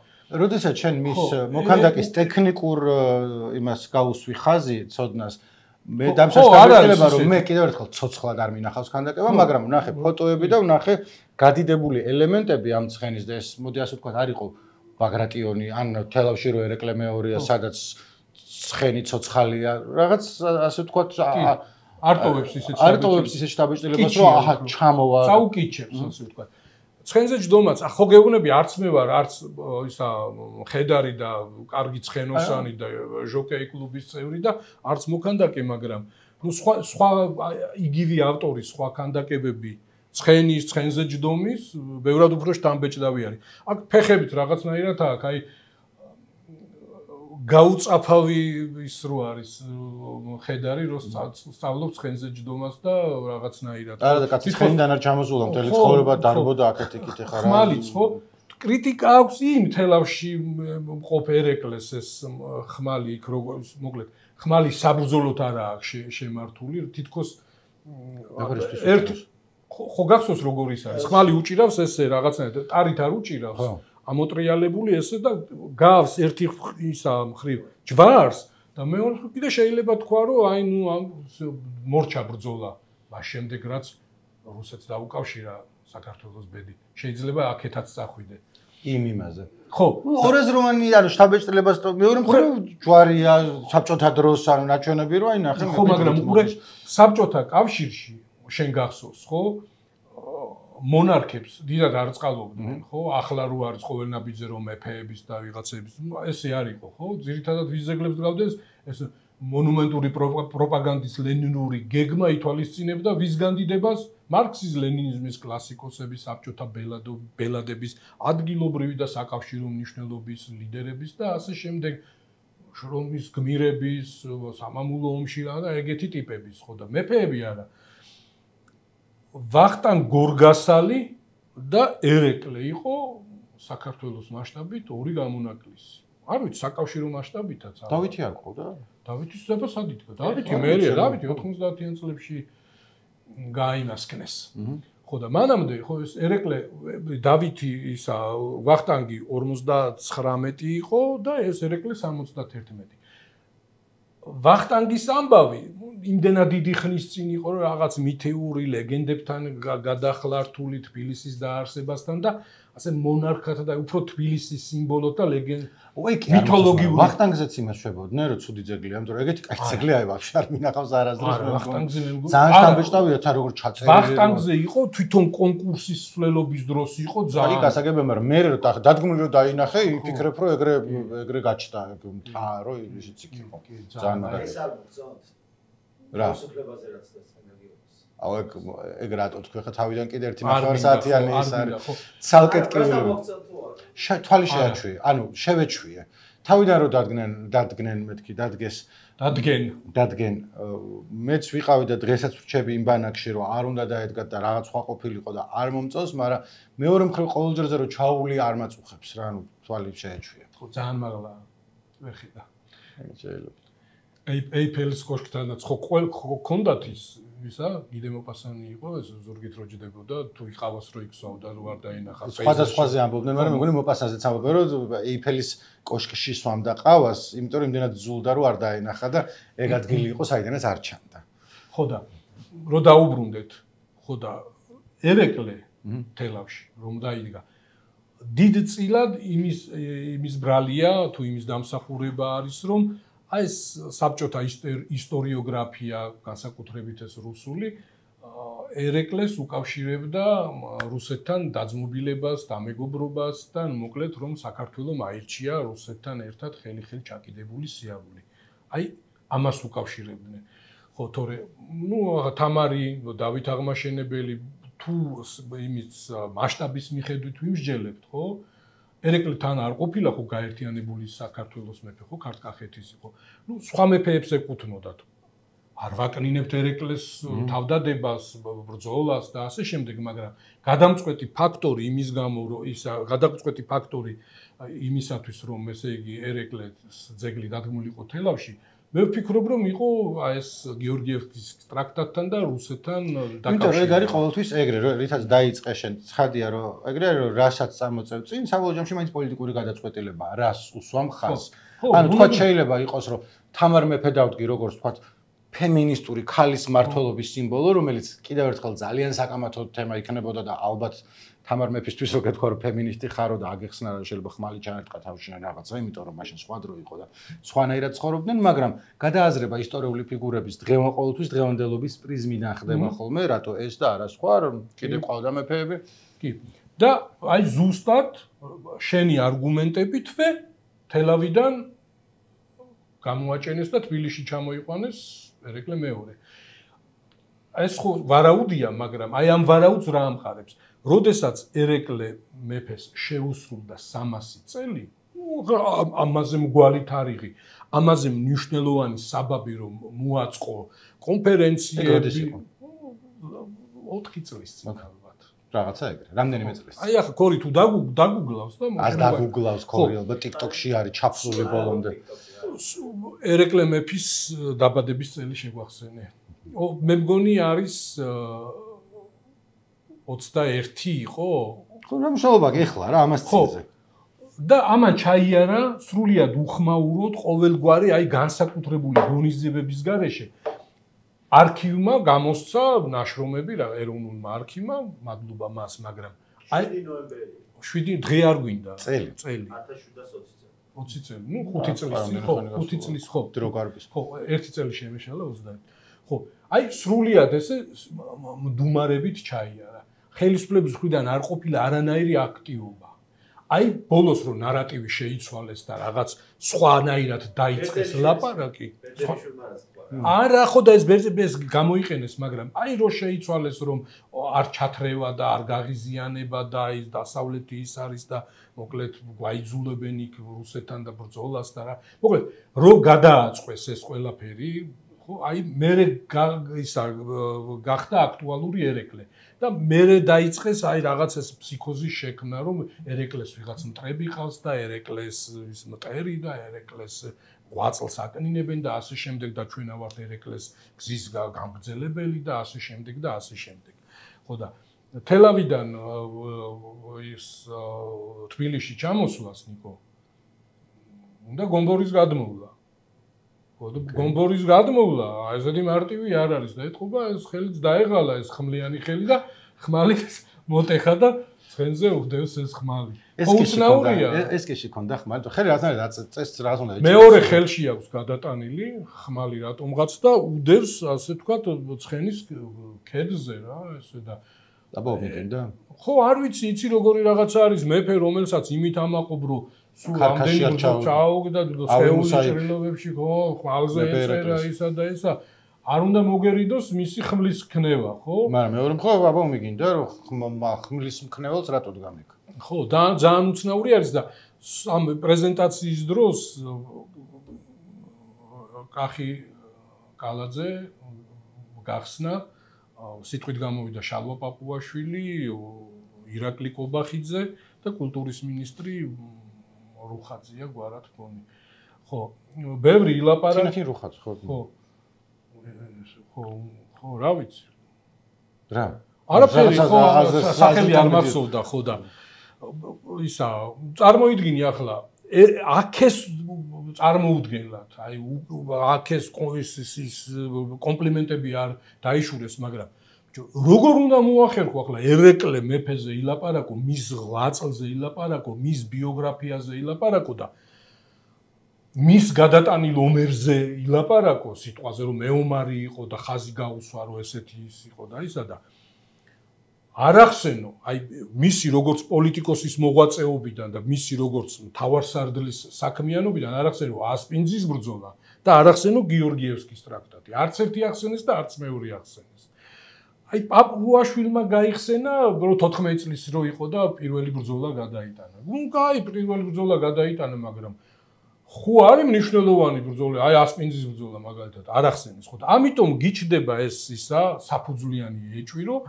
როდესაც შენ მის მოქანდაკის ტექნიკურ იმას გაუსვი ხაზი ცოდნას მე დამსახურება რომ მე კიდევ ერთხელ ცოცხლად არ მინახავს ქანდაკება მაგრამ ვნახე ფოტოები და ვნახე გადიდებული ელემენტები ამ ცხენის და ეს მოდი ასე ვთქვათ არ იყო ბაგრატიონი ან თელავში რო ერეკლე მეორეა სადაც ცხენი ცოცხალია რაღაც ასე ვთქვათ არტოვებს ისეთ არტოვებს ისეთ შტაბეჭდილებას რომ აჰა ჩამოვა წაუკიჩებს ასე ვთქვათ ცხენზე ჯდომაც ხო გეუბნები არც მე ვარ არც ისა ხედარი და კარგი ცხენოსანი და ჟოკეი კლუბის წევრი და არც მოქანდაკე მაგრამ ნუ სხვა სხვა იგივე ავტორის სხვა ქანდაკებები ცხენის ცხენზე ჯდომის ბევრად უფრო შტამბეჭდავი არის აქ ფეხებით რაღაცნაირად აქ აი გაუწაფავი ის რო არის ხედარი რო სწავლობს ცხენზე ჯდომას და რაღაცნაირად არა და კაცი ცხენიდან არ ჩამოსულა მთელი ცხოვრება დარბოდა აქეთ იქით ეხარა ხმალიც ხო კრიტიკა აქვს იმ თელავში მყოფ ერეკლეს ეს ხმალი იქ როგორც მოკლედ ხმალი საბრძოლოდ არა აქვს შემართული, თითქოს ერთ ხო გახსოვს როგორ ის არის. ხმალი უჭირავს ესე რაღაცნაირად, ტარით არ უჭირავს. ამოტრიალებული ესე და გავს ერთი ისა მხრივ ჯვარს და მეორე მხრივ კიდე შეიძლება თქვა რომ აი ნუ მორჩა ბრძოლა. მას შემდეგ რაც რუსეთს დაუკავშირა საქართველოს ბედი. შეიძლება აქეთაც წახვიდე. იმ იმაზე. ხო, ორაზროვანი არის შტაბ-ეჭრილებას მეორე მხრივ ჯვარია საბჭოთა დროს ანუ ნაჩვენები რო აი ნახე. ხო, მაგრამ უყურე საბჭოთა კავშირში შენ გახსოვს, ხო? მონარქებს დიდად არ წყალობდნენ, ხო? ახლა რო არის ყოველ ნაბიჯზე რომ მეფეების და ვიღაცების, ესე არ იყო, ხო? ძირითადად ვიზეგლებს დგავდნენ ეს მონუმენტური პროპაგანდის ლენინური გეგმა ითვალისწინებდა ვის განდიდებას მარქსიზ-ლენინიზმის კლასიკოსების, საბჭოთა ბელადების, ადგილობრივი და საკავშირო მნიშვნელობის ლიდერების და ასე შემდეგ შრომის გმირების, სამამულო ომში და ეგეთი ტიპების, ხო და მეფეები არა. ვახტანგ გორგასალი და ერეკლე იყო საქართველოს მასშტაბით ორი გამონაკლისი. არ ვიცი, საკავშირო მასშტაბითაც არა. დავითი არ ყავდა? დავითის ძება სად იდგა? დავითი მერია, დავითი ოთხმოცდაათიან წლებში გაინასკნეს. ხო და მანამდე ხო ეს ერეკლე დავითი ისა ვახტანგი ორმოცდაცხრამეტი იყო და ეს ერეკლე სამოცდაათერთმეტი. ვახტანგის ამბავი იმდენად დიდი ხნის წინ იყო რომ რაღაც მითეური ლეგენდებთან გადახლართული თბილისის დაარსებასთან და ასე მონარქათა და უფრო თბილისის სიმბოლოთ და ლეგენდ მითოლოგიური ვახტანგზეც იმას შვებოდნენ რომ ცუდი ძეგლია, ამიტომ ეგეთი კაი ძეგლი აი ვაფშე არ მინახავს არასდროს. ვახტანგზე მე მგონი ძალიან შთამბეჭდავია თან როგორ ჩაწერილი. ვახტანგზე იყო თვითონ კონკურსის სვლელობის დროს იყო ძალიან. აი გასაგებია, მაგრამ მე რო დადგმული რო დაინახე, იფიქრებ რომ ეგრე ეგრე გაჩნდა მთა რომ ისიც იქ იყო. ძალიან მაგარი. რა? სოფლებაზე რაც დასწრებიოს. აუ ეგ ეგ რატო თქვი ხა თავიდან კიდე ერთი ნახევარსაათიანი ის არის. ცალკე ტკივილი. თვალი შეაჩვიე, ანუ შევეჩვიე. თავიდან რო დადგნენ, დადგნენ მეთქი, დადგეს, დადგენ, დადგენ. მეც ვიყავი და დღესაც ვრჩები იმ ბანაკში რომ არ უნდა დაედგა და რაღაც სხვა ყოფილიყო და არ მომწონს, მაგრამ მეორე მხრივ ყოველჯერზე რომ ჩაული არ მაწუხებს რა, ანუ თვალი შეეჩვიე. ხო, ძალიან მაღლა ვერ ხედა. შეიძლება. ეიფელის კოშკთანაც ხო ჰქონდათ ის ისა გიდე მოპასანი იყო ეს ზურგით რო ჯდებოდა თუ იყავას რო იქსავდა რო არ დაინახა სხვადასხვაზე ამბობდნენ მაგრამ მეგონი მოპასანზეც ამბობენ რომ ეიფელის კოშკში სვამდა ყავას იმიტომ რომ იმდენად ზულდა რო არ დაინახა და ეგ ადგილი იყო საიდანაც არ ჩანდა ხო და რო დაუბრუნდეთ ხო და ერეკლე თელავში რომ დაიდგა დიდწილად იმის იმის ბრალია თუ იმის დამსახურება არის რომ აი ეს საბჭოთა ისტორიოგრაფია, განსაკუთრებით ეს რუსული, ერეკლეს უკავშირებდა რუსეთთან დაძმობილებას, დამეგობრობას და მოკლედ რომ საქართველოს აირჩია რუსეთთან ერთად ხელი-ხელი ჩაკიდებული სიარული. აი ამას უკავშირებდნენ. ხო, თორე, ნუ თამარი, დავით აღმაშენებელი თუ იმის მასშტაბის მიხედვით ვიმსჯელებთ, ხო? ერეკლე თან არ ყოფილა ხო გაერთიანებული საქართველოს მეფე ხო ქართკახეთის იყო. ნუ სხვა მეფეებს ეკუთვნოდათ. არ ვაკნინებთ ერეკლეს თავდადებას, ბრძოლას და ასე შემდეგ, მაგრამ გადამწყვეტი ფაქტორი იმის გამო რომ ის გადამწყვეტი ფაქტორი იმისათვის რომ ესე იგი ერეკლეს ძეგლი დადგმული იყო თელავში, მე ვფიქრობ რომ იყო ეს გეორგიევსკის ტრაქტატთან და რუსეთთან დაკავშირებული. იმიტომ ეგ არის ყოველთვის ეგრე, რითაც დაიწყე შენ, ცხადია რომ ეგრე რომ რასაც წამოწევ წინ, საბოლოო ჯამში მაინც პოლიტიკური გადაწყვეტილებაა, რას უსვამ ხაზს. ანუ თქვა შეიძლება იყოს რომ თამარ მეფე დავდგი როგორც თქვა ფემინისტური ქალის მმართველობის სიმბოლო, რომელიც კიდევ ერთხელ ძალიან საკამათო თემა იქნებოდა და ალბათ თამარ მეფისთვის რო გეთქვა რომ ფემინისტი ხარო და აგეხსნა რომ შეიძლება ხმალი ჩაერტყა თავშინა რაღაცა, იმიტომ რომ მაშინ სხვა დრო იყო და სხვანაირად ცხოვრობდნენ, მაგრამ გადააზრება ისტორიული ფიგურების დღევანდელ ყოველთვის დღევანდელობის პრიზმიდან ხდება ხოლმე, რატო ეს და არა სხვა, რომ კიდე ყავდა მეფეები. კი. და აი ზუსტად შენი არგუმენტებითვე თელავიდან გამოაჩენეს და თბილისში ჩამოიყვანეს ერეკლე მეორე. ეს ხო ვარაუდია, მაგრამ აი ამ ვარაუდს რა ამყარებს? როდესაც ერეკლე მეფეს შეუსრულდა სამასი წელი, ამაზე მგვალი თარიღი, ამაზე მნიშვნელოვანი საბაბი რომ მოაწყო კონფერენციები ოთხი წლის წინ ალბათ. რაღაცა ეგრე, რამდენიმე წლის. აი ახლა კორი თუ დაგუგლავს და არ დაგუგლავს კორი, ალბათ TikTok-ში არის ჩაფლული ბოლომდე. ერეკლე მეფის დაბადების წელი შეგვახსენე. მე მგონი არის ოცდაერთი იყო? ხო, რა მშობლობა გეხლა რა ამას წელზე. და ამან ჩაიარა სრულიად უხმაუროდ ყოველგვარი აი განსაკუთრებული ღონისძიებების გარეშე არქივმა გამოსცა ნაშრომები რა ეროვნულმა არქივმა, მადლობა მას, მაგრამ აი ნოემბერი. შვიდი დღე არ გვინდა. წელი. წელი. ათას შვიდას ოცი წელი. ოცი წელი. ნუ ხუთი წლის ხო, ხუთი წლის ხო. დრო გარბის. ხო, ერთი წელი შემეშალა ოცდაერთი. ხო, აი სრულიად ესე მდუმარებით ჩაიარა. ხელისუფლების მხრიდან არ ყოფილა არანაირი აქტივობა. აი ბოლოს რო ნარატივი შეიცვალეს და რაღაც სხვანაირად დაიწყეს ლაპარაკი. არა, ხო და ეს ბერზებს გამოიყენეს, მაგრამ აი რო შეიცვალეს რომ არ ჩათრევა და არ გაღიზიანება და აი დასავლეთი ის არის და მოკლედ გვაიძულებენ იქ რუსეთთან და ბრძოლას და რა. მოკლედ რო გადააწყვეს ეს ყველაფერი, ხო, აი მე ისა გახდა აქტუალური ერეკლე. და მე დაიწყეს აი რაღაც ეს ფსიქოზის შექმნა, რომ ერეკლეს ვიღაც მტრები ყავს და ერეკლეს ის მტერი და ერეკლეს ღვაწლს აკნინებენ და ასე შემდეგ და ჩვენ ავართ ერეკლეს გზის გამგრძელებელი და ასე შემდეგ და ასე შემდეგ. ხო და თელავიდან ის თბილისში ჩამოსვლას ნიკო უნდა გომბორის გადმოვლა. ხო და გომბორის გადმოვლა, ესეთი მარტივი არ არის და ეთყობა ეს ხელიც დაეღალა ეს ხმლიანი ხელი და ხმალი მოტეხა და ცხენზე უხდევს ეს ხმალი. უცნაურია. ეს კეში ქონდა ხმალი, ხელი რაღაცნაირად წესს რაღაც უნდა ეჭიროს. მეორე ხელში აქვს გადატანილი ხმალი რატომღაც და უდევს ასე ვთქვათ ცხენის ქედზე რა ესე და დაბაობიდან. ხო, არ ვიცი, იცი როგორი რაღაცა არის მეფე რომელსაც იმით ამაყობრო სულ ამდენი ჩაუგდა სხეულის ჭრილობებში ხო ხვალზე ეწერა ისა და ისა არ უნდა მოგერიდოს მისი ხმლის ქნევა ხო მაგრამ მეორე მხო აბა მიგინდა რომ ხმლის მქნევალს რატოდ გამიქ ხო და ძალიან უცნაური არის და ამ პრეზენტაციის დროს კახი კალაძე გახსნა სიტყვით გამოვიდა შალვა პაპუაშვილი ირაკლი კობახიძე და კულტურის მინისტრი რუხაძია გვარად მგონი. ხო, ბევრი ილაპარაკა. თინათინ რუხაძე, ხო. ხო. ხო, ხო, რა ვიცი. რა? არაფერი, ხო, სახელი არ მახსოვდა, ხო და ისა, წარმოიდგინე ახლა, აქეს წარმოუდგენლად, აი აქეს ის კომპლიმენტები არ დაიშურეს, მაგრამ როგორ უნდა მოახერხო ახლა ერეკლე მეფეზე ილაპარაკო, მის ღვაწლზე ილაპარაკო, მის ბიოგრაფიაზე ილაპარაკო და მის გადატანილ ომერზე ილაპარაკო, სიტყვაზე რომ მეომარი იყო და ხაზი გაუსვა რომ ესეთი ის იყო და ისა და არ ახსენო, აი მისი როგორც პოლიტიკოსის მოღვაწეობიდან და მისი როგორც მთავარსარდლის საქმიანობიდან არ ახსენო ასპინძის ბრძოლა და არ ახსენო გიორგიევსკის ტრაქტატი. არც ერთი ახსენეს და არც მეორე ახსენეს. აი პაპუაშვილმა გაიხსენა რომ თოთხმეტი წლის რო იყო და პირველი ბრძოლა გადაიტანა. ნუ კაი, პირველი ბრძოლა გადაიტანა, მაგრამ ხო არის მნიშვნელოვანი ბრძოლა, აი ასპინძის ბრძოლა მაგალითად არ ახსენეს, ხო და ამიტომ გიჩდება ეს ისა საფუძვლიანი ეჭვი, რომ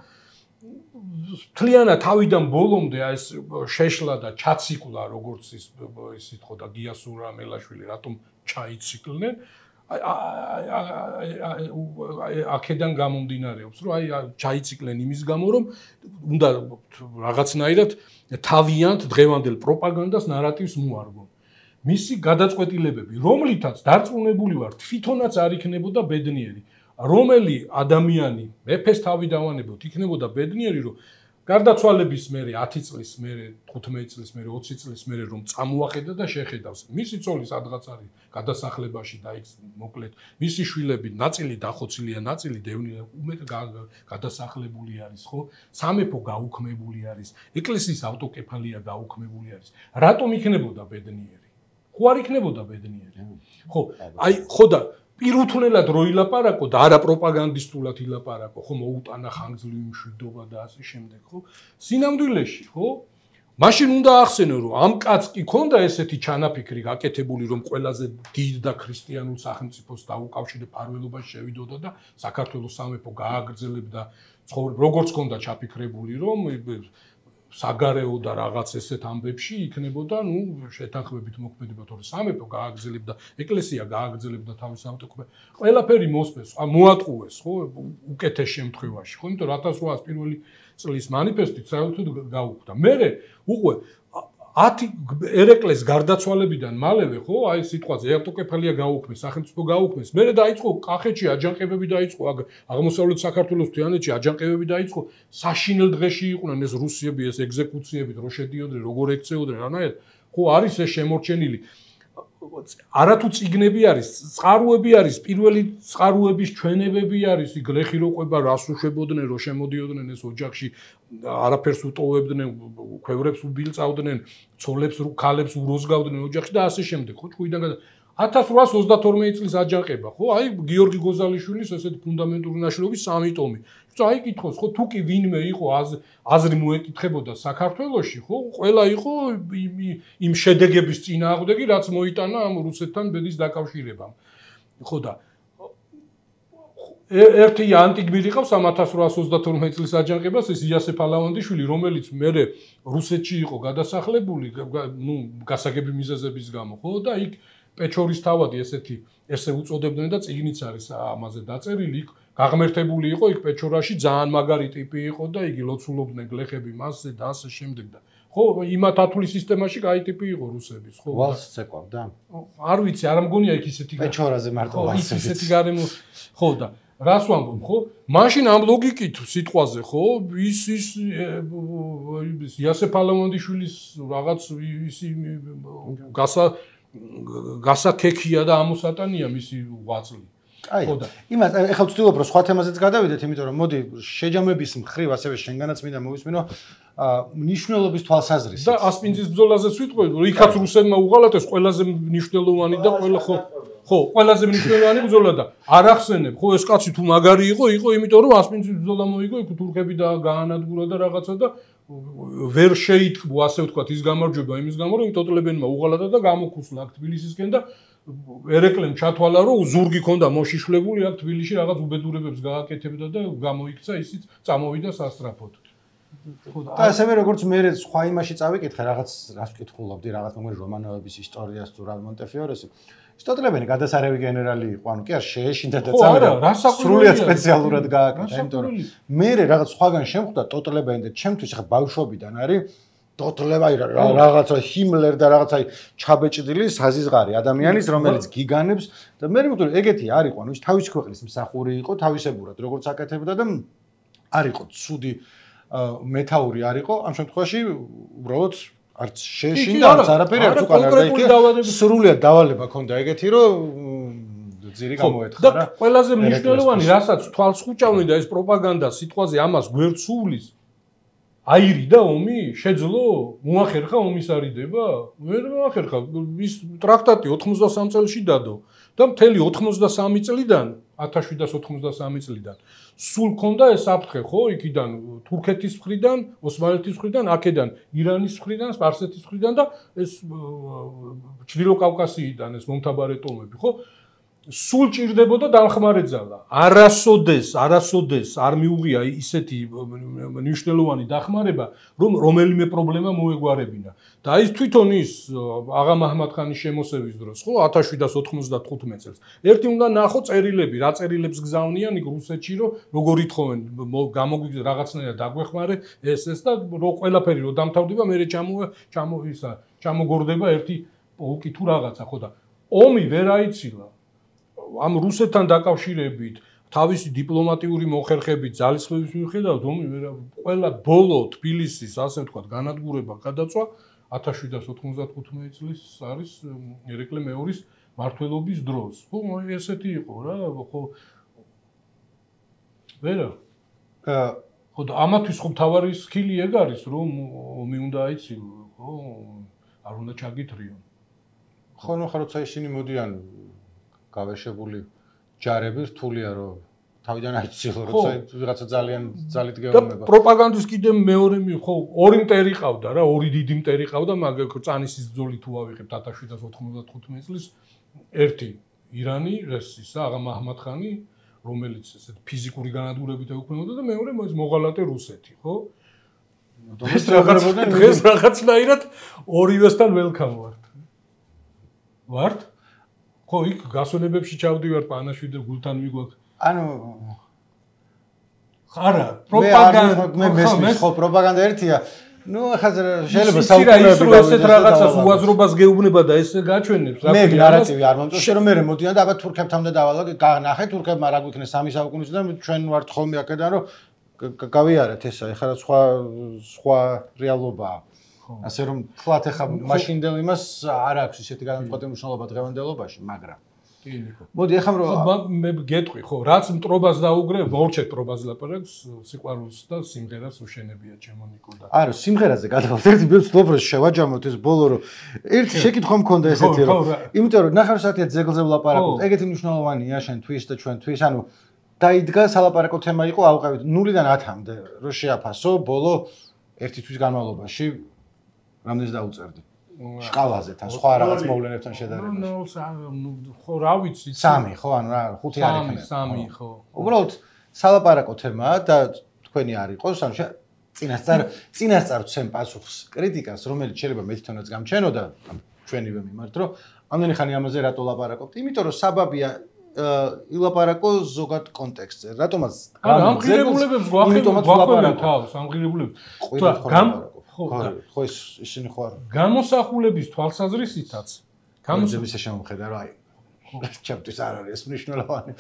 თლიანად თავიდან ბოლომდე ეს შეშლა და ჩაციკლა როგორც ის ისეთ ხო და გიასურა მელაშვილი რატომ ჩაიციკლნენ აქედან გამომდინარეობს რომ აი ჩაიციკლენ იმის გამო რომ უნდა რაღაცნაირად თავიანთ დღევანდელ პროპაგანდას ნარატივს მოარგონ მისი გადაწყვეტილებები რომლითაც დარწმუნებული ვარ თვითონაც არ იქნებოდა ბედნიერი რომელი ადამიანი მეფეს თავი დავანებოთ იქნებოდა ბედნიერი რომ გარდაცვალების მერე ათი წლის მერე თხუთმეტი წლის მერე ოცი წლის მერე რომ წამოახედა და შეხედავს მისი ცოლი სადღაც არის გადასახლებაში და იქ მოკლედ მისი შვილები ნაწილი დახოცილია ნაწილი დევნილი უმეტ გადასახლებული არის ხო სამეფო გაუქმებული არის ეკლესიის ავტოკეფალია გაუქმებული არის რატომ იქნებოდა ბედნიერი ხო არ იქნებოდა ბედნიერი ხო აი ხო და პირუთვნელად რო ილაპარაკო და არა პროპაგანდისტულად ილაპარაკო, ხო მოუტანა ხანგრძლივი მშვიდობა და ასე შემდეგ, ხო? სინამდვილეში, ხო? მაშინ უნდა ახსენო, რომ ამ კაცს კი ქონდა ესეთი ჩანაფიქრი გაკეთებული, რომ ყველაზე დიდ და ქრისტიანულ სახელმწიფოს დაუკავშირდა ფარველობაში შევიდოდა და საქართველოს სამეფო გააგრძელებდა ცხოვრება, როგორც ქონდა ჩაფიქრებული, რომ საგარეო და რაღაც ესეთ ამბებში იქნებოდა, ნუ შეთანხმებით მოქმედება, თორე სამეფო გააგრძელებდა, ეკლესია გააგრძელებდა თავის ავტოკრატიას. ყველაფერი მოსწეს, მოატყუეს, ხო, უკეთეს შემთხვევაში, ხო, იმიტომ რომ ათას რვაას პირველი წლის მანიფესტით საერთოდ გაუქმდა. მერე უყვე ათი ერეკლეს გარდაცვალებიდან მალევე, ხო, აი სიტყვაზე ავტოკეფალია გაუქმეს, სახელმწიფო გაუქმეს. მერე დაიწყო კახეთში აჯანყებები დაიწყო, აღმოსავლეთ საქართველოს თიანეთში აჯანყებები დაიწყო. საშინელ დღეში იყვნენ ეს რუსები, ეს ეგზეკუციებით, რო შედიოდნენ, როგორ ექცეოდნენ, რანაირად. ხო, არის ეს შემორჩენილი. არათუ წიგნები არის, წყაროები არის, პირველი წყაროების ჩვენებები არის, იქ ლეხი რო ყვება, რას უშვებოდნენ, რო შემოდიოდნენ ეს ოჯახში, არაფერს უტოვებდნენ, ქვევრებს უბილწავდნენ, ცოლებს, ქალებს უროზგავდნენ ოჯახში და ასე შემდეგ, ხო, ჭუიდან გადა ათას რვაას ოცდათორმეტი წლის აჯანყება, ხო, აი გიორგი გოზალიშვილის ესეთი ფუნდამენტური ნაშრომის სამი ტომი. აი კითხოს, ხო, თუ კი ვინმე იყო აზრი მოეკითხებოდა საქართველოში, ხო, ყველა იყო იმ შედეგების წინააღმდეგი, რაც მოიტანა ამ რუსეთთან ბედის დაკავშირებამ. ხო და ერთი ანტიგმირი ყავს ამ ათას რვაას ოცდათორმეტი წლის აჯანყებას, ეს იასე ფალავანდიშვილი, რომელიც მერე რუსეთში იყო გადასახლებული, ნუ გასაგები მიზეზების გამო, ხო და იქ პეჩორის თავადი ესეთი ესე უწოდებდნენ და წიგნიც არის ამაზე დაწერილი, იქ გაღმერთებული იყო იქ პეჩორაში ძალიან მაგარი ტიპი იყო და იგი ლოცულობდნენ გლეხები მასზე და ასე შემდეგ და ხო იმათ ათulis სისტემაში კაი ტიპი იყო რუსების ხო ვალს ცეკვავდა არ ვიცი არ მგონია იქ ისეთი პეჩორაზე მარტო ვალსი ისეთი გარემო ხო და რას ვამბობ ხო მაშინ ამ ლოგიკით სიტყვაზე ხო ის ის იასე ფალავანდიშვილის რაღაც ის გასა გასაკექია და ამოსატანია მისი ღვაწლი აი, იმას ეხლა ვცდილობ რომ სხვა თემაზეც გადავიდეთ, იმიტომ რომ მოდი შეჯამების მხრივ ასევე შენგანაც მინდა მოვისმინო მნიშვნელობის თვალსაზრისით. და ასპინძის ბრძოლაზეც ვიტყვი, რომ იქაც რუსებმა უღალატეს ყველაზე მნიშვნელოვანი და ყველა ხო ხო, ყველაზე მნიშვნელოვანი ბრძოლა და არ ახსენებ, ხო ეს კაცი თუ მაგარი იყო, იყო იმიტომ რომ ასპინძის ბრძოლა მოიგო, იქ თურქები და გაანადგურა და რაღაცა და ვერ შეიტყბო ასე ვთქვათ ის გამარჯვება იმის გამო რომ ტოტლებენმა უღალატა და გამოკუსლა აქ თბილისისკენ და ერეკლემ ჩათვალა რომ ზურგი ქონდა მოშიშვლებული აქ თბილისში რაღაც უბედურებებს გააკეთებდა და გამოიქცა ისიც წამოვიდა სასტრაფოდ. და ასევე როგორც მე სხვა იმაში წავიკითხე რაღაც რას ვკითხულობდი რაღაც მოგონი რომანოვების ისტორიას თუ რა მონტეფიორესი სტოტლებენი გადასარევი გენერალი იყო ანუ კი არ შეეშინდა და წავიდა სრულიად სპეციალურად გააკეთა იმიტომ რომ მე რაღაც სხვაგან შემხვდა ტოტლებენი და ჩემთვის ხა ბავშვობიდან არის ტოტლება რაღაცა ჰიმლერ და რაღაცა ჩაბეჭდილი საზიზღარი ადამიანის რომელიც გიგანებს და მე მგონი ეგეთი არ იყო ანუ ის თავისი ქვეყნის მსახური იყო თავისებურად როგორც აკეთებდა და არ იყო ცუდი მეთაური არ იყო ამ შემთხვევაში უბრალოდ არც შეეშინდა არც არაფერი არც უკან არ დაიქე სრულიად დავალება ქონდა ეგეთი რომ ძირი გამოეთხარა და ყველაზე მნიშვნელოვანი რასაც თვალს ხუჭავენ და ეს პროპაგანდა სიტყვაზე ამას გვერდსუვლის აირი და ომი შეძლო მოახერხა ომის არიდება ვერ მოახერხა ის ტრაქტატი ოთხმოცდასამ წელში დადო და მთელი ოთხმოცდასამი წლიდან ათას შვიდას ოთხმოცდასამი წლიდან სულ ქონდა ეს საფრთხე ხო იქიდან თურქეთის მხრიდან ოსმალეთის მხრიდან აქედან ირანის მხრიდან სპარსეთის მხრიდან და ეს ჩრდილო კავკასიიდან ეს მომთაბარე ტომები ხო სულ ჭირდებოდა დამხმარე ძალა. არასოდეს, არასოდეს არ მიუღია ისეთი მნიშვნელოვანი დახმარება, რომ რომელიმე პრობლემა მოეგვარებინა. და ის თვითონ ის აღა მაჰმად-ხანის შემოსევის დროს, ხო, ათას შვიდას ოთხმოცდათხუთმეტ წელს. ერთი უნდა ნახო წერილები, რა წერილებს გზავნიან იქ რუსეთში, რომ როგორ ითხოვენ, გამოგვიგზა რაღაცნაირად დაგვეხმარე ეს ეს და რო ყველაფერი რო დამთავრდება, მე ჩამო ჩამო ისა, ჩამოგორდება ერთი პოლკი თუ რაღაცა, ხო და ომი ვერ აიცილა. ამ რუსეთთან დაკავშირებით თავისი დიპლომატიური მოხერხებით ძალისხმევის მიუხედავად ომი ყველა ბოლო თბილისის ასე ვთქვათ განადგურება გადაწვა ათას შვიდას ოთხმოცდათხუთმეტი წლის არის ერეკლე მეორის მმართველობის დროს. ხო, ესეთი იყო რა, ხო. ვერა. ხო და ამათვის ხო თავარი სკილი ეგ არის რომ ომი უნდა აიცილო, ხო? არ უნდა ჩაგითრიონ. ხო, ნუ ხა როცა ისინი მოდიან გავეშებული ჯარები რთულია რომ თავიდან აიცილო როცა ვიღაცა ძალიან ძალით გეუბნება. და პროპაგანდის კიდე მეორე ხო ორი მტერი ყავდა რა, ორი დიდი მტერი ყავდა, მაგრამ წანისის ბრძოლით თუ ავიღებთ ათას შვიდას ოთხმოცდათხუთმეტ წლის ერთი ირანი, ეს ისა აღა მაჰმად-ხანი, რომელიც ესეთ ფიზიკური განადგურებით ეუქმებოდა და მეორე მოღალატე რუსეთი, ხო? ეს რაღაც დღეს რაღაცნაირად ორივესთან ველკამ ვართ. ვართ? ხო, იქ გასვენებებში ჩავდივარ პანაშვილი და გულთან მიგვაქვს. ანუ არა, პროპაგანდა მე მესმის ხო პროპაგანდა ერთია. ნუ ახლა შეიძლება საუბრები ისრულ ესეთ რაღაცას უაზრობას გეუბნება და ესე გაჩვენებს რა მე ნარატივი არ მომწონს შე რომ მე მოდიან და აბა თურქებთან და დავალო ნახე თურქებმა რა გვიქნეს სამი საუკუნის და ჩვენ ვართ ხოლმე აქედან რომ გავიარეთ ესა ეხლა სხვა სხვა რეალობაა ასე რომ თქვათ ეხლა მაშინდელ იმას არ აქვს ისეთი განმტყობი მნიშვნელობა დღევანდელობაში მაგრამ მოდი ეხლა რომ მე გეტყვი ხო რაც მტრობას დაუგრე ვორჩეთ მტრობას ლაპარაკს სიყვარულს და სიმღერას უშენებია ჩემო ნიკო და არა სიმღერაზე გადავალთ ერთი ბილწლოფროს შევაჯამოთ ეს ბოლო რომ ერთი შეკითხვა მქონდა ესეთი რომ იმიტომ რომ ნახევარ საათია ძეგლზე ვლაპარაკობთ ეგეთი მნიშვნელოვანია შენთვის და ჩვენთვის ანუ დაიდგა სალაპარაკო თემა იყო ავყევით ნულიდან ათამდე რომ შეაფასო ბოლო ერთი თვის განმავლობაში რამდენს დაუწერდი შკალაზე თან სხვა რაღაც მოვლენებთან შედარებაში. ნუ ხო რა ვიცი. სამი ხო ანუ რა ხუთი არ იქნება. სამი ხო. უბრალოდ სალაპარაკო თემაა და თქვენი არ იყოს ანუ წინასწარ წინასწარ ვცემ პასუხს კრიტიკას რომელიც შეიძლება მე თვითონაც გამჩენოდა ჩვენივე მიმართ რომ ამდენი ხანი ამაზე რატო ლაპარაკობთ? იმიტომ რომ საბაბია ილაპარაკო ზოგად კონტექსტზე. რატომაც გამღირებულებებს გვახელავთ თავს, ამღირებულებს. გამ ხო ის ისინი ხო არა გამოსახულების თვალსაზრისითაც გამოსახულების შემოხედა რა აი ჩემთვის არ არის ეს მნიშვნელოვანი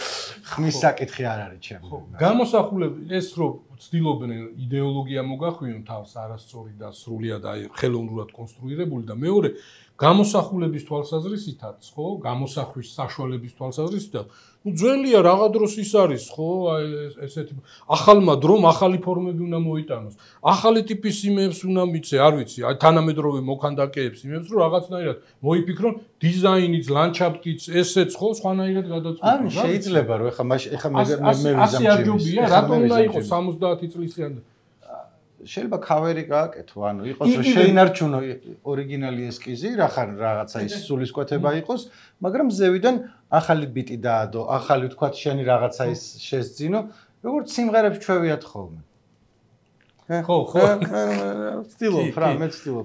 ხმის საკითხი არ არის ჩემთვის გამოსახულები ეს რომ ცდილობენ იდეოლოგია მოგახვიონ თავს არასწორი და სრულიად აი ხელოვნურად კონსტრუირებული და მეორე გამოსახულების თვალსაზრისითაც ხო გამოსახვის საშუალების თვალსაზრისითაც ну ძველია რაღა დროს ის არის ხო აი ესეთი ახალმა დრომ ახალი ფორმები უნდა მოიტანოს ახალი ტიპის იმებს უნდა მიცე არ ვიცი აი თანამედროვე მოქანდაკეებს იმებს რომ რაღაცნაირად მოიფიქრონ დიზაინიც ლანდშაფტიც ესეც ხო სხვანაირად გადაწყვეტონ ანუ შეიძლება რომ ეხა ეხა მე მე ასე არ ჯობია რატომ უნდა იყოს სამოცდაათი წლისიანი შეიძლება ქავერი გააკეთო, ანუ იყოს რომ შეინარჩუნო ორიგინალი ესკიზი, რახან რაღაცა ის სულისკვეთება იყოს, მაგრამ ზევიდან ახალი ბიტი დაადო, ახალი თქვათ შენი რაღაცა ის შესძინო, როგორც სიმღერებს ჩვევიათ ხოლმე. ხო, ხო. სტილობ რა, მე სტილობ.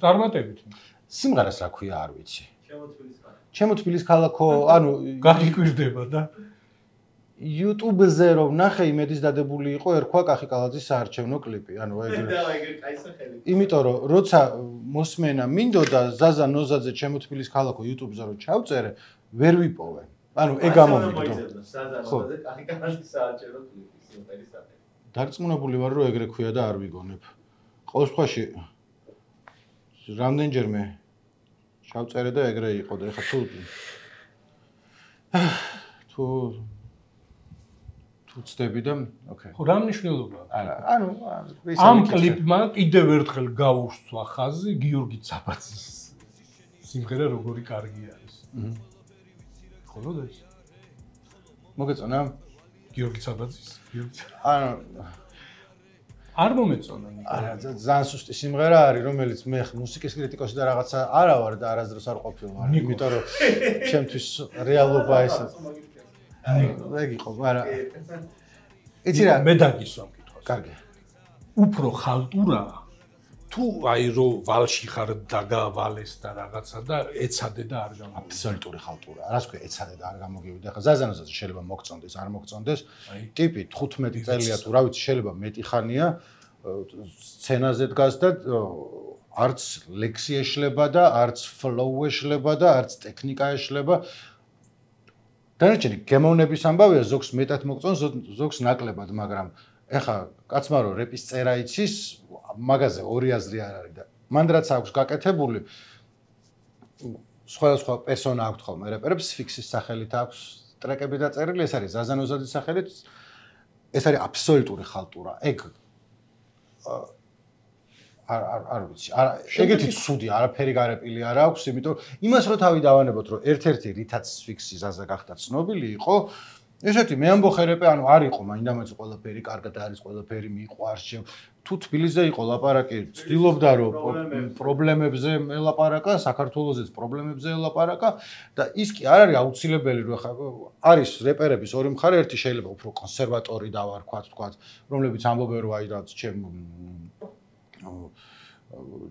წარმატებით. სიმღერას რა ქვია, არ ვიცი. ჩემო თბილის ქალაქო. ჩემო თბილის ქალაქო, ანუ გაგიკვირდება და YouTube-ზე რომ ნახე იმედის დადებული იყო ერქვა კახიკალაძის საარჩევნო კლიპი. ანუ ეგ კაი სახელი. იმიტომ რომ როცა მოსმენა მინდოდა ზაზა ნოზაძე ჩემო თბილის ქალაქო YouTube-ზე რომ ჩავწერე, ვერ ვიპოვე. ანუ ეგ გამომიგდო. ზაზა ნოზაძე კახიკალაძის საარჩევნო კლიპი სიმღერის სახელი. დარწმუნებული ვარ რომ ეგრე ქვია და არ ვიგონებ. ყოველ შემთხვევაში რამდენჯერმე ჩავწერე და ეგრე იყო და ეხა თუ თუ თუ ცდები და ოკეი. ხო, რა მნიშვნელობაა? არა, ანუ ამ კლიპმა კიდევ ერთხელ გაუსწვა ხაზი გიორგი ცაბაძის სიმღერა როგორი კარგი არის. აჰა. ხოლო და ის მოგეწონა გიორგი ცაბაძის? გიორგი ანუ არ მომეწონა ნიკო. არა, ძალიან სუსტი სიმღერა არის, რომელიც მე მუსიკის კრიტიკოსი და რაღაცა არა ვარ და არასდროს არ ყოფილვარ, იმიტომ რომ ჩემთვის რეალობა ესა აი, ეგ იყო, მაგრამ იცი რა, მე დაგისვა მკითხვას. კარგი. უფრო ხალტურაა თუ აი რო ვალში ხარ დაგავალეს და რაღაცა და ეცადე და არ გამოვიდა. აბსოლუტური ხალტურაა. რას ქვია, ეცადე და არ გამოგივიდა. ხა ზაზანოზაძე შეიძლება მოგწონდეს, არ მოგწონდეს. ტიპი თხუთმეტი წელია თუ რა ვიცი, შეიძლება მეტი ხანია სცენაზე დგას და არც ლექსი ეშლება და არც ფლოუ ეშლება და არც ტექნიკა ეშლება. დანარჩენი გემოვნების ამბავია, ზოგს მეტად მოგწონს, ზოგს ნაკლებად, მაგრამ ეხა კაცმა რო რეპის წერა იცის, მაგაზე ორი აზრი არ არის და მან რაც აქვს გაკეთებული სხვადასხვა პერსონა აქვს ხოლმე რეპერებს ფიქსის სახელით აქვს ტრეკები დაწერილი, ეს არის ზაზანოზაძის სახელით, ეს არის აბსოლუტური ხალტურა. ეგ არ არ არ ვიცი. ეგეთი ცუდი არაფერი გარეპილი არ აქვს, იმიტომ იმას რო თავი დავანებოთ, რომ ერთ-ერთი რითაც ფიქსი ზაზა გახდა ცნობილი იყო, ესეთი მე ამბოხე რეპე, ანუ არ იყო მაინდამაინც ყველაფერი კარგად არის, ყველაფერი მიყვარს ჩემ. თუ თბილისზე იყო ლაპარაკი, ცდილობდა რომ პრობლემებზე ელაპარაკა, საქართველოსაც პრობლემებზე ელაპარაკა და ის კი არ არის აუცილებელი რომ ხა არის რეპერების ორი მხარე, ერთი შეიძლება უფრო კონსერვატორი დავარქვათ, თქვათ, რომლებიც ამბობენ რომ აი რაც ჩემ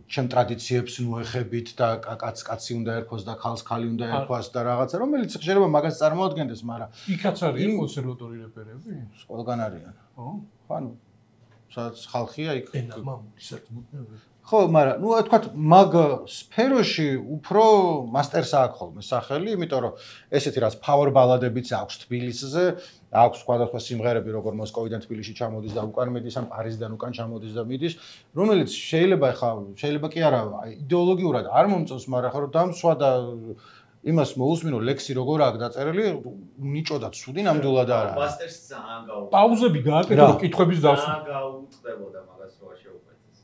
ჩემ ტრადიციებს მოეხებით და კაც კაცი უნდა ერქვას და ხალს ხალი უნდა ერქვას და რაღაცა რომელიც შეიძლება მაგას წარმოადგენდეს, მაგრამ იქაც არის კონსერვატორი რეპერები? ყველგან არიან. ხო? ხო, ანუ სადაც ხალხია იქ. ენა მამული საერთოდ. ხო, მაგრამ ნუ თქვათ მაგ სფეროში უფრო მასტერს აქვს ხოლმე სახელი, იმიტომ რომ ესეთი რაც power ბალადებიც აქვს თბილისზე, აქვს სხვადასხვა სიმღერები, როგორ მოსკოვიდან თბილისში ჩამოდის და უკან მიდის, ან პარიზიდან უკან ჩამოდის და მიდის, რომელიც შეიძლება ხა შეიძლება კი არა იდეოლოგიურად არ მომწონს, მაგრამ ხო დამსვა და იმას მოусმინო ლექსი როგორ აქვს დაწერილი, ნიჭო და ცუდი ნამდვილად არ არის. მასტერს ძალიან გაუ. პაუზები გააკეთე რომ კითხვების დასვა. ძალიან გაუწყდებოდა მაგას რო არ შეუკვეთეს.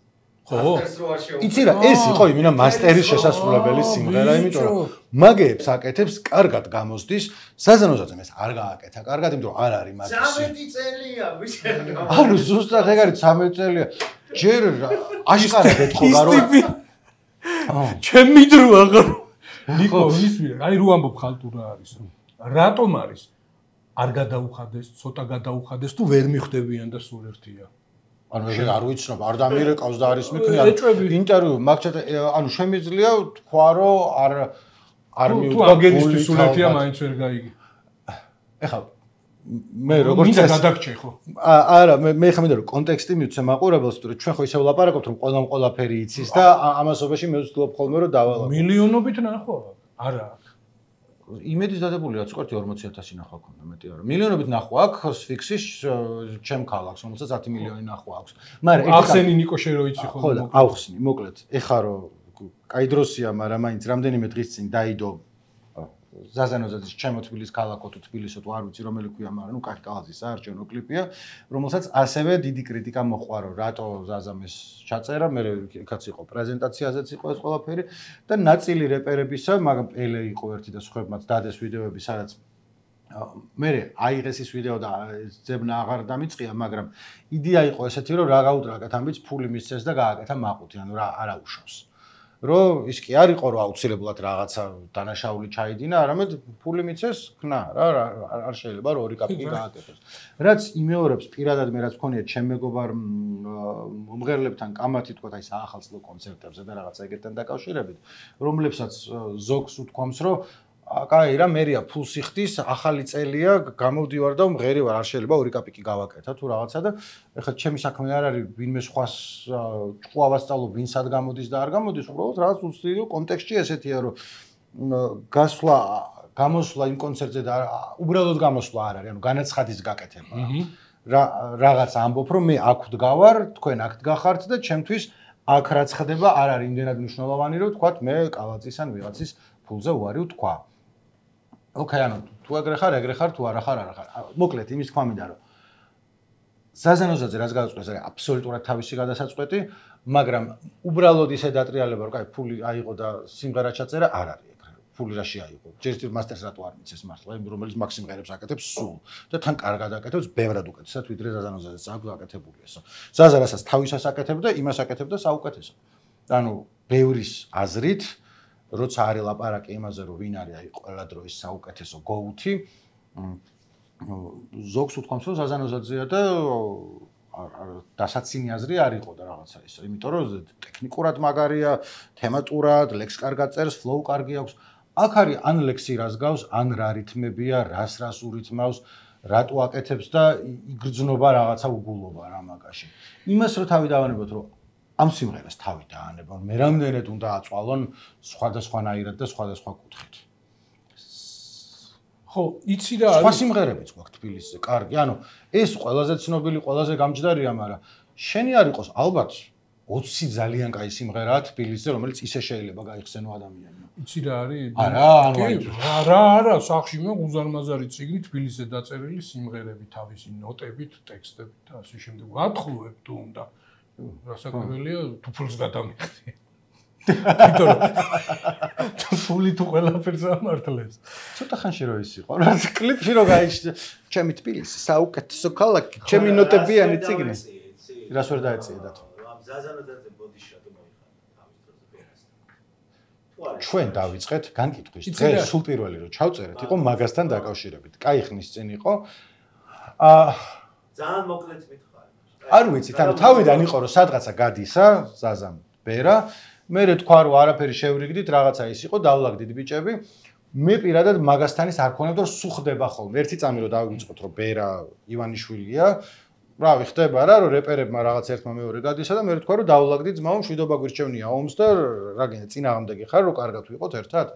ხო? მასტერს რო არ შეუკვეთეს. იცი რა, ეს იყო იმენა მასტერის შესასრულებელი სიმღერა, იმიტომ რომ მაგეებს აკეთებს, კარგად გამოსდის, საზანოზაძემ ეს არ გააკეთა, კარგად, იმიტომ რომ არ არის მაგისი. ცამეტი წელია, ვიცი. ანუ ზუსტად ეგ არის ცამეტი წელია. ჯერ აშკარად ეთქობა რომ ჩემი დრო აღარ ნიკო ისმი, აი რო ამბობ ხალტურა არის. რატომ არის? არ გადაუხადეს, ცოტა გადაუხადეს თუ ვერ მიხვდებიან და სულ ერთია. ანუ ეგ არ ვიცნობ, არ დამირეკავს და არის მიქნი, ანუ ინტერვიუ მაგჩათ, ანუ შემიძლია თქვა რომ არ არ მიუდგა გენისტვის სულ ერთია მაინც ვერ გაიგე. ეხლა მე როგორც მინდა გადაგჭე ხო? არა, მე მე ხა მინდა რომ კონტექსტი მივცე მაყურებელს, თუ ჩვენ ხო ისე ვლაპარაკობთ რომ ყველამ ყველაფერი იცის და ამასობაში მე ვცდილობ ხოლმე რომ დავალავ. მილიონობით ნახვა? არა. იმედის დადებული რაც ყურთი ორმოცი ათასი ნახვა ქონდა, მეტი არა. მილიონობით ნახვა აქვს ფიქსის ჩემ ქალაქს, რომელსაც ათი მილიონი ნახვა აქვს. მაგრამ ახსენი ნიკო შენ რო იცი ხო? ხო, ავხსნი, მოკლედ. ეხა რომ კაი დროსია, მაგრამ მაინც რამდენიმე დღის წინ დაიდო ზაზანოზაძის ჩემო თბილის ქალაქო თუ თბილისო თუ არ ვიცი რომელი ქვია, მაგრამ ნუ კახი კალაზის საარჩევნო კლიპია, რომელსაც ასევე დიდი კრიტიკა მოყვა, რომ რატო ზაზამ ეს ჩაწერა, მე იქაც იყო პრეზენტაციაზეც იყო ეს ყველაფერი და ნაწილი რეპერებისა, მაგრამ პელე იყო ერთი და სხვებმაც დადეს ვიდეოები, სადაც მე აიღეს ის ვიდეო და ძებნა აღარ დამიწყია, მაგრამ იდეა იყო ესეთი, რომ რა გაუტრაკეთ ამბიც ფული მისცეს და გააკეთა მაყუთი, ანუ რა არა უშავს. რომ ის კი არ იყო რომ აუცილებლად რაღაცა დანაშაული ჩაიდინა, არამედ ფული მიცეს, ხნა, რა არ შეიძლება რომ ორი კაპიკი გააკეთოს. რაც იმეორებს პირადად მე რაც მქონია ჩემ მეგობარ მომღერლებთან კამათი თქვა აი საახალწლო კონცერტებზე და რაღაცა ეგეთთან დაკავშირებით, რომლებსაც ზოგს უთქვამს რომ კაი რა მერია ფულს იხდის, ახალი წელია, გამოვდივარ და მღერი ვარ, არ შეიძლება ორი კაპიკი გავაკეთა თუ რაღაცა და ეხლა ჩემი საქმე არ არის ვინმე სხვას ჭკუა ვასწავლო, ვინ სად გამოდის და არ გამოდის, უბრალოდ რაღაც უცდირო კონტექსტში ესეთია, რომ გასვლა, გამოსვლა იმ კონცერტზე და უბრალოდ გამოსვლა არ არის, ანუ განაცხადის გაკეთება. რა რაღაც ამბობ, რომ მე აქ ვდგავარ, თქვენ აქ დგახართ და ჩემთვის აქ რაც ხდება არ არის იმდენად მნიშვნელოვანი, რომ თქვათ მე კალაწის ან ვიღაცის ფულზე უარი ვთქვა. ოკეი, ანუ თუ ეგრე ხარ, ეგრე ხარ, თუ არა ხარ, არა ხარ. მოკლედ, იმის თქვა მინდა, რომ ზაზანოზაძე რაც გადაწყვეტს, არის აბსოლუტურად თავისი გადასაწყვეტი, მაგრამ უბრალოდ ისე დატრიალება, რომ კაი, ფული აიღო და სიმღერა ჩაწერა, არ არის ეგრე. ფული რაში აიღო? ჯერ ერთი მასტერს რატო არ მიცეს მართლა, რომელიც მაგ სიმღერებს აკეთებს სულ და თან კარგად აკეთებს, ბევრად უკეთესად, ვიდრე ზაზანოზაძეს აქვს აკეთებული ესო. ზაზა რასაც თავისას აკეთებდა, იმას აკეთებდა საუკეთესო. ანუ ბევრის აზრით როცა არის ლაპარაკი იმაზე, რომ ვინ არის აი ყველა დროის საუკეთესო გოუთი, ზოგს უთქვამს, რომ ზაზანოზაძეა და დასაცინი აზრი არ იყო და რაღაცა ისე, იმიტომ რომ ტექნიკურად მაგარია, თემატურად, ლექს კარგად წერს, ფლოუ კარგი აქვს. აქ არის ან ლექსი რას გავს, ან რა რითმებია, რას რას ურითმავს, რატო აკეთებს და იგრძნობა რაღაცა უგულობა რა მაგაში. იმას რო თავი დავანებოთ, რომ ამ სიმღერას თავი დაანებონ, მე რამდენად უნდა აწვალონ სხვადასხვანაირად და სხვადასხვა კუთხით. ხო, იცი რა არის? სხვა სიმღერებიც გვაქვს თბილისზე, კარგი. ანუ ეს ყველაზე ცნობილი, ყველაზე გამჯდარია, მაგრამ შენი არ იყოს ალბათ ოცი ძალიან კაი სიმღერაა თბილისზე, რომელიც ისე შეიძლება გაიხსენო ადამიანმა. იცი რა არის? არა, ანუ არა, არა, სახში მე უზარმაზარი წიგნი თბილისზე დაწერილი სიმღერები თავისი ნოტებით, ტექსტებით და ასე შემდეგ. ვათხოვებ თუ უნდა რასაკვირველია, თუ ფულს გადამიხდი. იმიტომ რომ თუ ფული თუ ყველაფერს ამართლებს. ცოტა ხანში რო ის იყო, რა კლიპში რო გაიჩნდა, ჩემი თბილისი, საუკეთესო ქალაქი, ჩემი ნოტებიანი წიგნი. რას ვერ დაეწია დათო? ამ ზაზანოზაძე ბოდიშატო მოიხადა თავის დროზე ბერასთან. ჩვენ დავიწყეთ განკითხვის დღე, სულ პირველი რო ჩავწერეთ, იყო მაგასთან დაკავშირებით. კაი ხნის წინ იყო. აა ძალიან მოკლედ მითხარი. არ ვიცით, ანუ თავიდან იყო რომ სადღაცა გადისა, ზაზამ ბერა, მე თქვა რომ არაფერი შევრიგდით, რაღაცა ის იყო, დავლაგდით ბიჭები. მე პირადად მაგასთან ის არ ქონებდა რომ სულ ხდება ხოლმე. ერთი წამი რომ დავიწყოთ რომ ბერა ივანიშვილია, რავი, ხდება რა, რომ რეპერებმა რაღაც ერთმა მეორე გადისა და მე თქვა რომ დავლაგდით ძმაო, მშვიდობა გვირჩევნია ომს და რა გინდა წინააღმდეგი ხარ რომ კარგად ვიყოთ ერთად,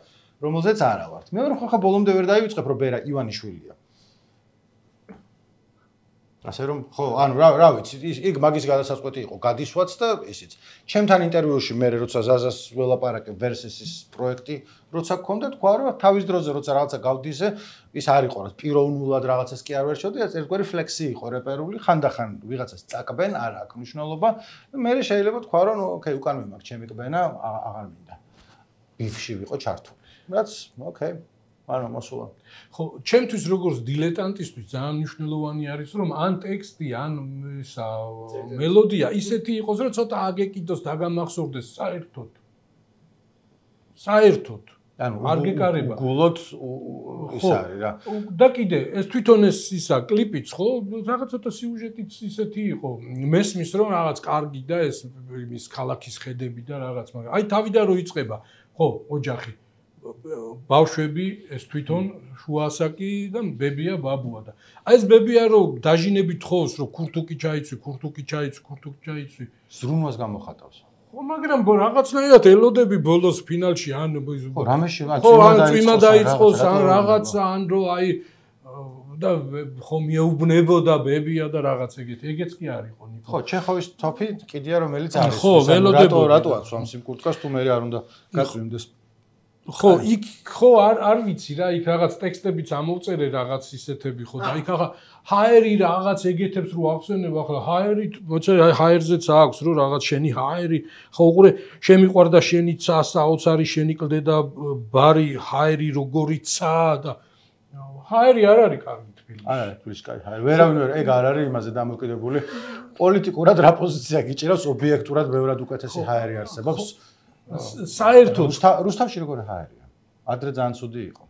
რომელზეც არა ვართ. მე ვარ ხა ბოლომდე ვერ დაივიწყებ რომ ბერა ივანიშვილია. ასე რომ ხო, ანუ რა რა ვიცი, იქ მაგის გადასაწყვეტი იყო გადისვაც და ისიც. ჩემთან ინტერვიუში მე როცა ზაზას ველაპარაკე ვერსესის პროექტი, როცა გქონდა თქვა რომ თავის დროზე როცა რაღაცა გავდიზე, ის არ იყო რა პიროვნულად რაღაცას კი არ ვერჩევდი, ერთგვარი ფლექსი იყო რეპერული, ხანდახან ვიღაცას წაკბენ, არ აქვს მნიშვნელობა. მე შეიძლება თქვა რომ ოკეი, უკან მიმართ ჩემი კბენა, აღარ მინდა. ბიფში ვიყო ჩართული. რაც ოკეი ანუ მოსულა. ხო, ჩემთვის როგორც დილეტანტისთვის ძალიან მნიშვნელოვანი არის, რომ ან ტექსტი, ან ისა მელოდია ისეთი იყოს, რომ ცოტა აგეკიდოს, დაგამახსოვრდეს საერთოდ. საერთოდ. ანუ არ გეკარება. გულოთ ის არის რა. და კიდე ეს თვითონ ეს ისა კლიპიც ხო, რაღაც ცოტა სიუჟეტიც ისეთი იყო. მესმის რომ რაღაც კარგი და ეს იმის ქალაქის ხედები და რაღაც, მაგრამ აი თავიდან რო იწყება, ხო, ოჯახი ბავშვები ეს თვითონ შუასაკი და ბებია ბაბუა და აი ეს ბებია რომ დაჟინებით ხოვს რომ ქურთუკი ჩაიცვი ქურთუკი ჩაიცვი ქურთუკი ჩაიცვი ზრუნვას გამოხატავს ხო მაგრამ რაღაცნაირად ელოდები ბოლოს ფინალში ან ხო რამეში ხო ან წვიმა დაიწყოს ან რაღაცა ან რომ აი და ხო მიეუბნებოდა ბებია და რაღაც ეგეთ ეგეც კი არისო ნიკო ხო ჩეხოვის თოფი კიდია რომელიც არის ხო ველოდები რატო აცვამს იმ კურტკას თუ მე არ უნდა გაწვიმდეს ხო, იქ ხო არ არ ვიცი რა, იქ რაღაც ტექსტებიც ამოვწერე რაღაც ისეთები ხო და იქ ახლა ჰაერი რაღაც ეგეთებს რო ახსენებ ახლა ჰაერი, მოიცა ჰაერზეც აქვს რო რაღაც შენი ჰაერი, ხო უყურე, შემიყვარდა შენი ცა, საოცარი შენი კლდე და ბარი ჰაერი როგორი ცა და ჰაერი არ არის კარგი თბილისში. არ არის თბილისში კარგი ჰაერი. ვერავინ ვერ ეგ არ არის იმაზე დამოკიდებული. პოლიტიკურად რა პოზიცია გიჭირავს ობიექტურად ბევრად უკეთესი ჰაერი არსებობს. საერთოდ რუსთავში როგორი ჰაერია? ადრე ძალიან ცუდი იყო.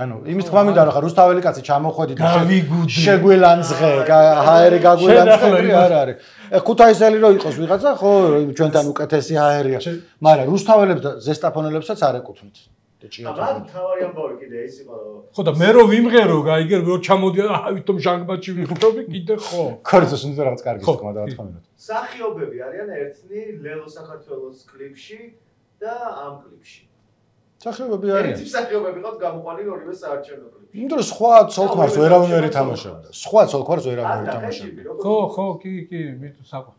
ანუ იმის თქმა მინდა რომ ხა რუსთაველი კაცი ჩამოხვედი და შეგვილანძღე, ჰაერი გაგვილანძღე, არ არის. ეხ ქუთაისელი რო იყოს ვიღაცა, ხო, ჩვენთან უკეთესი ჰაერია. მაგრამ რუსთაველებს და ზესტაფონელებსაც არ ეკუთვნით. აბა თავარი ამბავი კიდე ის იყო რომ ხო და მე რო ვიმღერო, გაიგე რო ჩამოდია, აა ვითომ ჟანგბადში ვიხდები კიდე ხო. ქორწოს უნდა რაღაც კარგი თქმა და თქმა უნდა. სახიობები არიან ერთნი ლელო საქართველოს კლიპში და ამ კლიპში. სახიობები არიან. ერთი სახიობები ყავთ გამოყვანილი ორივე საარჩევნო კლიპში. იმიტომ რომ სხვა ცოლქმარს ვერავინ ვერ ითამაშებდა. სხვა ცოლქმარს ვერავინ ვერ ითამაშებდა. ხო, ხო, კი, კი, მით საყო.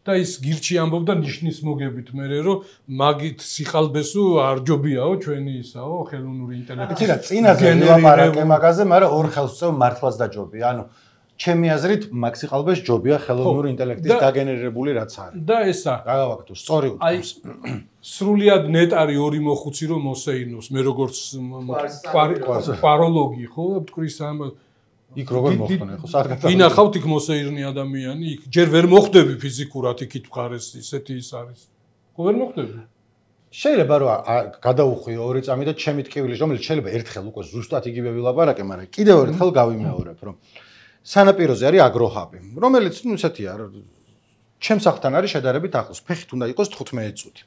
და ის გირჩი ამბობდა ნიშნის მოგებით მერე რომ მაგით სიხალბესო არ ჯობიაო ჩვენი ისაო ხელოვნური ინტელექტი. იცი რა, წინაზე ვილაპარაკე მაგაზე, მაგრამ ორ ხელს წევ მართლაც დაჯობია. ანუ ჩემი აზრით მაგ სიხალბეს ჯობია ხელოვნური ინტელექტის დაგენერირებული რაც არის. და ესა გავავაგდო, სწორი უთქვამს. სრულიად ნეტარი ორი მოხუცი რომ მოსეინოს, მე როგორც კვაროლოგი ხო, მტკვრის ამ იქ როგორ მოხდნე ხო საერთოდ ვინახავთ იქ მოსეირნი ადამიანი იქ ჯერ ვერ მოხდები ფიზიკურად იქით მხარეს ისეთი ის არის ხო ვერ მოხდები შეიძლება რომ გადაუხვიო ორი წამი და ჩემი ტკივილი რომელიც შეიძლება ერთხელ უკვე ზუსტად იგივე ვილაპარაკე მაგრამ კიდევ ერთხელ გავიმეორებ რომ სანაპიროზე არის აგროჰაბი რომელიც ნუ ისეთია ჩემ სახლთან არის შედარებით ახლოს ფეხით უნდა იყოს თხუთმეტი წუთი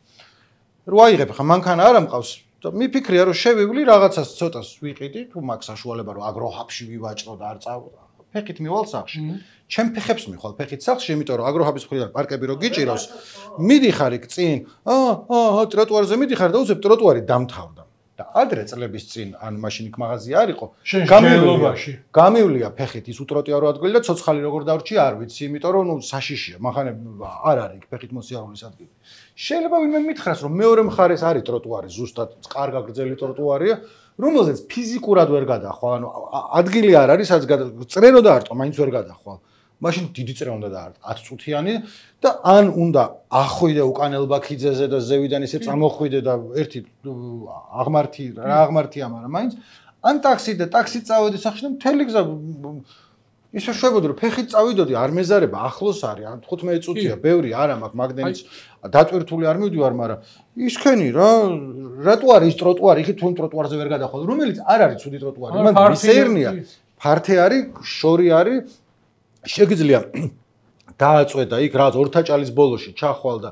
რო აიღებ ხა მანქანა არ ამყავს და მიფიქრია რომ შევივლი რაღაცას ცოტას ვიყიდი თუ მაგ საშუალება რომ აგროჰაბში ვივაჭრო და არ წავა ფეხით მივალ სახლში ჩემ ფეხებს მიხვალ ფეხით სახლში იმიტომ რომ აგროჰაბის მხრიდან პარკები რო გიჭირავს მიდიხარ იქ წინ აა აა ტროტუარზე მიდიხარ და უცებ ტროტუარი დამთავრდა და ადრე წლების წინ ან მაშინ იქ მაღაზია არ იყო გამივლობაში გამივლია ფეხით ის უტროტუარო ადგილი და ცოცხალი როგორ დავრჩი არ ვიცი იმიტომ რომ ნუ საშიშია მახანე არ არის იქ ფეხით მოსიარულის ადგილი შეიძლება ვინმე მითხრას რომ მეორე მხარეს არის ტროტუარი ზუსტად კარგა გრძელი ტროტუარია რომელზეც ფიზიკურად ვერ გადახვალ ანუ ადგილი არ არის სადაც წრენო დაარტყო მაინც ვერ გადახვალ მაშინ დიდი წრე უნდა დაარტყო ათი წუთიანი და ან უნდა ახვიდე უკანელ ბაქიძეზე და ზევიდან ისე წამოხვიდე და ერთი აღმართი რა აღმართია მაგრამ მაინც ან ტაქსი და ტაქსით წავედი სახში და მთელი გზა ისე შვებოდი რომ ფეხით წავიდოდი არ მეზარება ახლოს არის ან თხუთმეტი წუთია ბევრი არა მაქვს მაგდენიც დატვირთული არ მივდივარ მაგრამ ისქენი რა რატო არის ის ტროტუარი იქით თუ ტროტუარზე ვერ გადახვალ რომელიც არ არის ცუდი ტროტუარი მან მისეირნია ფართე არის შორი არის შეგიძლია დააწვედა იქ რაღაც ორთაჭალის ბოლოში ჩახვალ და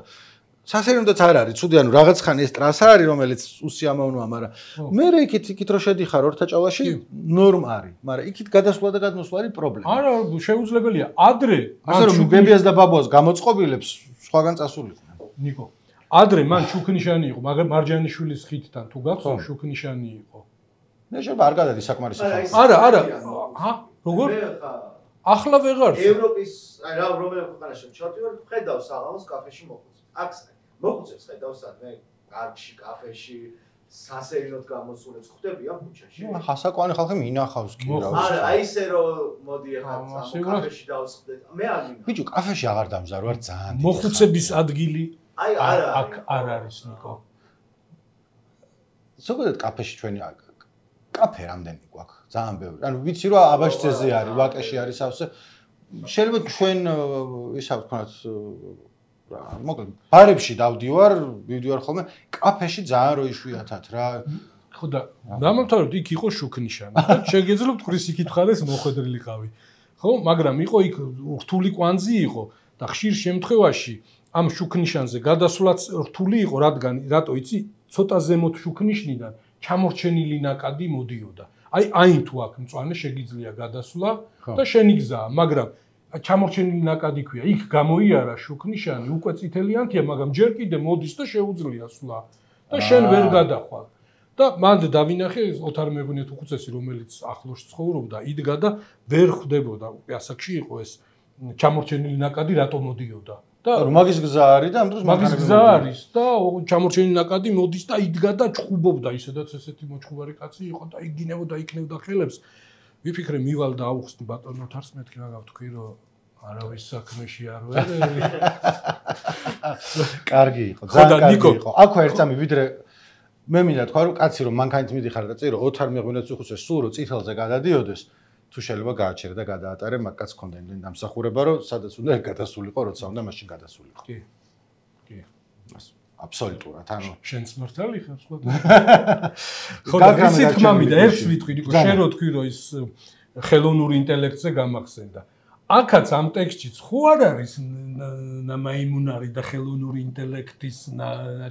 სასერიმდაც არ არის, ცუდი ანუ რაღაც ხანი ეს ტრასა არის, რომელიც უსიამოვნოა, მაგრამ მე იქით იქით რო შედიხარ ორთაჭალაში, ნორმა არის, მაგრამ იქით გადასვლა და გადმოსვლა არის პრობლემა. არა, შეუძლებელია. ადრე ასე რომ გებიას და ბაბუას გამოწყობილებს სხვაგან წასულიყვნენ. ნიკო, ადრე მან შუქნიშანი იყო, მაგრამ მარჯანიშვილის ხიდთან თუ გახსოვს შუქნიშანი იყო. მე შეიძლება არ გადადი საკმარისი ხალხი. არა, არა. ჰა, როგორ? ახლა ვეღარ. ევროპის, აი რა რომელი ქვეყანაში ჩავდი ვარ, ხედავ საღამოს კაფეში მოხუცებს. აქ მოხუცებს ხედავ სადმე კარგში, კაფეში, სასერინოდ გამოსულებს ხვდებიან ბუჩაში. ხასაკვანი ხალხი მინახავს კი რა. არა, აი ესე რომ მოდი ახლა კაფეში დავსხდეთ. მე არ მინახავს. ბიჭო, კაფეში აღარ დამზარვარ ძალიან. მოხუცების ადგილი აი არა, აქ არ არის ნიკო. ზოგადად კაფეში ჩვენი კაფე რამდენი გვაქვს? ძალიან ბევრი. ანუ ვიცი რომ აბაშძეზე არის, ვაკეში არის სავსე. შეიძლება ჩვენ ისა ვთქვათ რა, მოკლედ ბარებში დავდივარ, ვიდივარ ხოლმე, კაფეში ძალიან რო იშვიათად რა. ხო და დამამთავრებთ იქ იყო შუქნიშანი. შეგეძლო თქვრის იქით ხარეს მოხვედრილიყავი. ხო, მაგრამ იყო იქ რთული კვანძი იყო და ხშირ შემთხვევაში ამ შუქნიშანზე გადასვლაც რთული იყო, რადგან რატო იცი, ცოტა ზემოთ შუქნიშნიდან ჩამორჩენილი ნაკადი მოდიოდა. აი აინ თუ აქ მწვანე შეგიძლია გადასვლა და შენი გზაა, მაგრამ ჩამორჩენილი ნაკადი ქვია, იქ გამოიარა შუქნიშანი, უკვე წითელიანთია, მაგრამ ჯერ კიდე მოდის და შეუძლია სვლა და შენ ვერ გადახვალ. და მანდ დავინახე ოთარ მეღვინეთ უხუცესი, რომელიც ახლოს ცხოვრობდა, იდგა და ვერ ხვდებოდა, ასაკში იყო ეს ჩამორჩენილი ნაკადი რატო მოდიოდა. და მაგის გზა არის და ამ დროს მაგის გზა არის და ჩამორჩენილი ნაკადი მოდის და იდგა და ჩხუბობდა, ისედაც ესეთი მოჩხუბარი კაცი იყო და იგინებოდა, იქნებდა ხელებს. ვიფიქრე მივალ და ავხსნი ბატონ ოთარს, მეთქი რა გავთქვი რომ არავის საქმეში არ ვარ. კარგი იყო, ძალიან კარგი იყო. აქვე ერთ წამი ვიდრე მე მინდა თქვა რომ კაცი რომ მანქანით მიდიხარ და წირო ოთარ მეღვინეთს უხუცეს სულ რომ წითელზე გადადიოდეს, თუ შეიძლება გააჩერე და გადაატარე, მაგ კაცს ქონდა იმდენი დამსახურება რომ სადაც უნდა გადასულიყო, როცა უნდა მაშინ გადასულიყო. კი. კი. აბსოლუტურად, ანუ შენს მართალი ხარ სხვა. ხო და ისე თქმა მინდა ერთს ვიტყვი, ნიკო, შენ რო თქვი რომ ის ხელოვნური ინტელექტზე გამახსენდა. აქაც ამ ტექსტშიც ხო არ არის ნამაიმუნარი და ხელოვნური ინტელექტის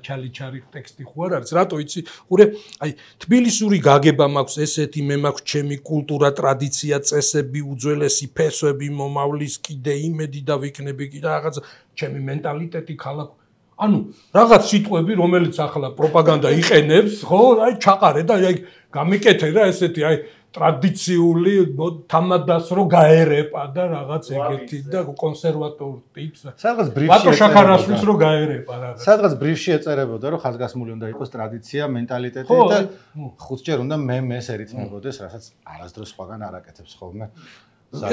ჩალიჩარი ტექსტი ხო არ არის? რატო იცი? ხურე, აი თბილისური გაგება მაქვს ესეთი, მე მაქვს ჩემი კულტურა, ტრადიცია, წესები, უძველესი ფესვები, მომავლის კიდე იმედი და ვიქნები კიდე რაღაც ჩემი მენტალიტეტი ქალაქ. ანუ რაღაც სიტყვები, რომელიც ახლა პროპაგანდა იყენებს, ხო, აი ჩაყარე და აი გამიკეთე რა ესეთი, აი ტრადიციული თამადას რო გაერეპა და რაღაც ეგეთი და კონსერვატორ ტიპს. სადღაც ბრიფში ბატო შაქარაშვილს რო გაერეპა რაღაც. სადღაც ბრიფში ეწერებოდა რომ ხაზგასმული უნდა იყოს ტრადიცია, მენტალიტეტი და ხუთჯერ უნდა მე მეს ერითმებოდეს, რასაც არასდროს სხვაგან არ აკეთებს ხოლმე.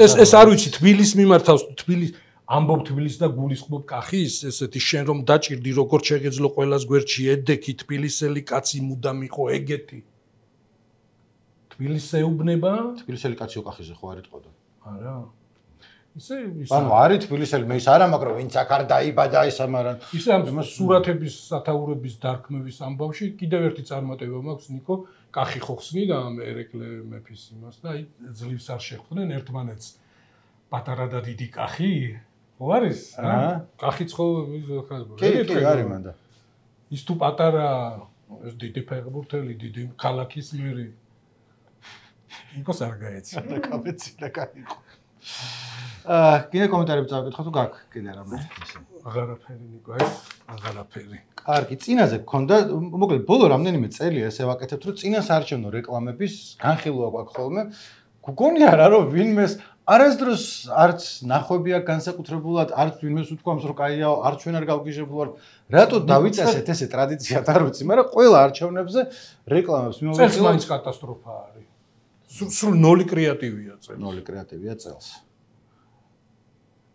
ეს ეს არ ვიცი, თბილისს მიმართავს, თბილის ამბობ თბილისს და გულისხმობ კახის, ესეთი შენ რომ დაჭირდი როგორც შეგეძლო ყველას გვერდში ედექი თბილისელი კაცი მუდამ იყო ეგეთი. თბილისს ეუბნება? თბილისელი კაცი უკახიზე ხო არ იტყოდა? არა. ისე ისე. ანუ არის თბილისელი, მე ის არა, მაგრამ ვინც აქ არ დაიბადა ისა, მაგრამ ისე ამ სურათების სათაურების დარქმევის ამბავში კიდევ ერთი წარმატება მაქვს, ნიკო, კახი ხო ხსნიდა ამ ერეკლე მეფის იმას და აი ძლივს არ შეხვდნენ ერთმანეთს. პატარა და დიდი კახი? ხო არის? აა. კახიც ხო კი, კი, არის მანდა. ის თუ პატარა ეს დიდი ფეხბურთელი, დიდი ქალაქის მერი ნიკოს არ გაეცი. და კაფეცი და გაიყო. აა, კიდე კომენტარები წავიკითხო თუ გაქვს კიდე რამე ისე. აღარაფერი ნიკო, ეს აღარაფერი. კარგი, წინაზე გქონდა, მოკლედ ბოლო რამდენიმე წელია ესე ვაკეთებთ, რომ წინასაარჩევნო რეკლამების განხილვა გვაქვს ხოლმე. გგონია რა რომ ვინმეს არასდროს არც ნახვები აქვს განსაკუთრებულად, არც ვინმეს უთქვამს რომ კაიაო, არც ჩვენ არ გავგიჟებულ ვართ. რატო დავიწესეთ ესე ტრადიციად არ ვიცი, მაგრამ ყველა არჩევნებზე რეკლამებს მიმოვიხილავთ. წელს მაინც კატასტროფა არის. სულ ნოლი კრეატივია წელს. ნოლი კრეატივია წელს.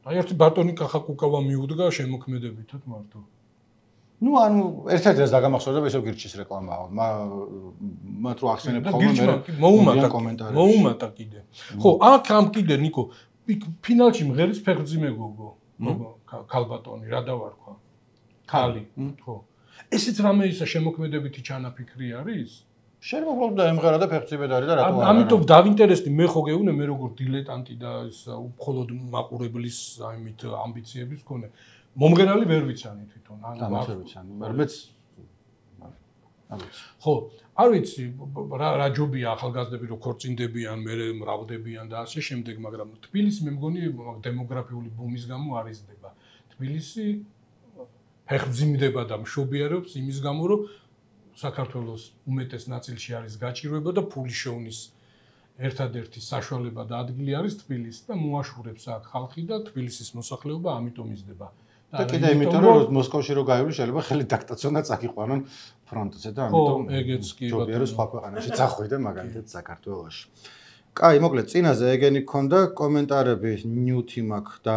აი ერთი ბატონი კახაკუკავა მიუდგა შემოქმედებითად მარტო. ნუ ანუ ერთ-ერთი ეს დაგამახსოვრდა ისევ გირჩის რეკლამაა. მათ რო ახსენებ ხოლმე მე მოუმატა კომენტარებში. მოუმატა კიდე. ხო, აქ ამ კიდე ნიკო, ფინალში მღერის ფეხბურთი მეგოგო. ქალბატონი რა დავარქვა? ქალი. ხო. ესეც რამე ისა შემოქმედებითი ჩანაფიქრი არის? შეიძლება უბრალოდ ემღერა და ფეხმძიმედ არის და რატო არა? ამიტომ დავინტერესდი მე ხო გეუბნე მე როგორ დილეტანტი და ის მხოლოდ მაყურებლის აიმით ამბიციების მქონე. მომღერალი ვერ ვიცანი თვითონ. ანუ ვერ ვიცანი. მეც ხო, არ ვიცი რა რა ჯობია ახალგაზრდები რო ქორწინდებიან, მე მრავლდებიან და ასე შემდეგ, მაგრამ თბილისი მე მგონი დემოგრაფიული ბუმის გამო არ იზრდება. თბილისი ფეხმძიმდება და მშობიარობს იმის გამო, რომ საქართველოს უმეტეს ნაწილში არის გაჭირვება და ფული შოვნის ერთადერთი საშუალება და ადგილი არის თბილისი და მოაშურებს აქ ხალხი და თბილისის მოსახლეობა ამიტომ იზრდება. და კიდე იმიტომ რომ მოსკოვში რო გაივლი შეიძლება ხელი დაქტაცონ და წაკიყვანონ ფრონტზე და ამიტომ ეგეც კი ჯობია რომ სხვა ქვეყანაში წახვიდე მაგალითად საქართველოში. კაი, მოკლედ წინაზე ეგენი გქონდა კომენტარები ნიუთი მაქვს და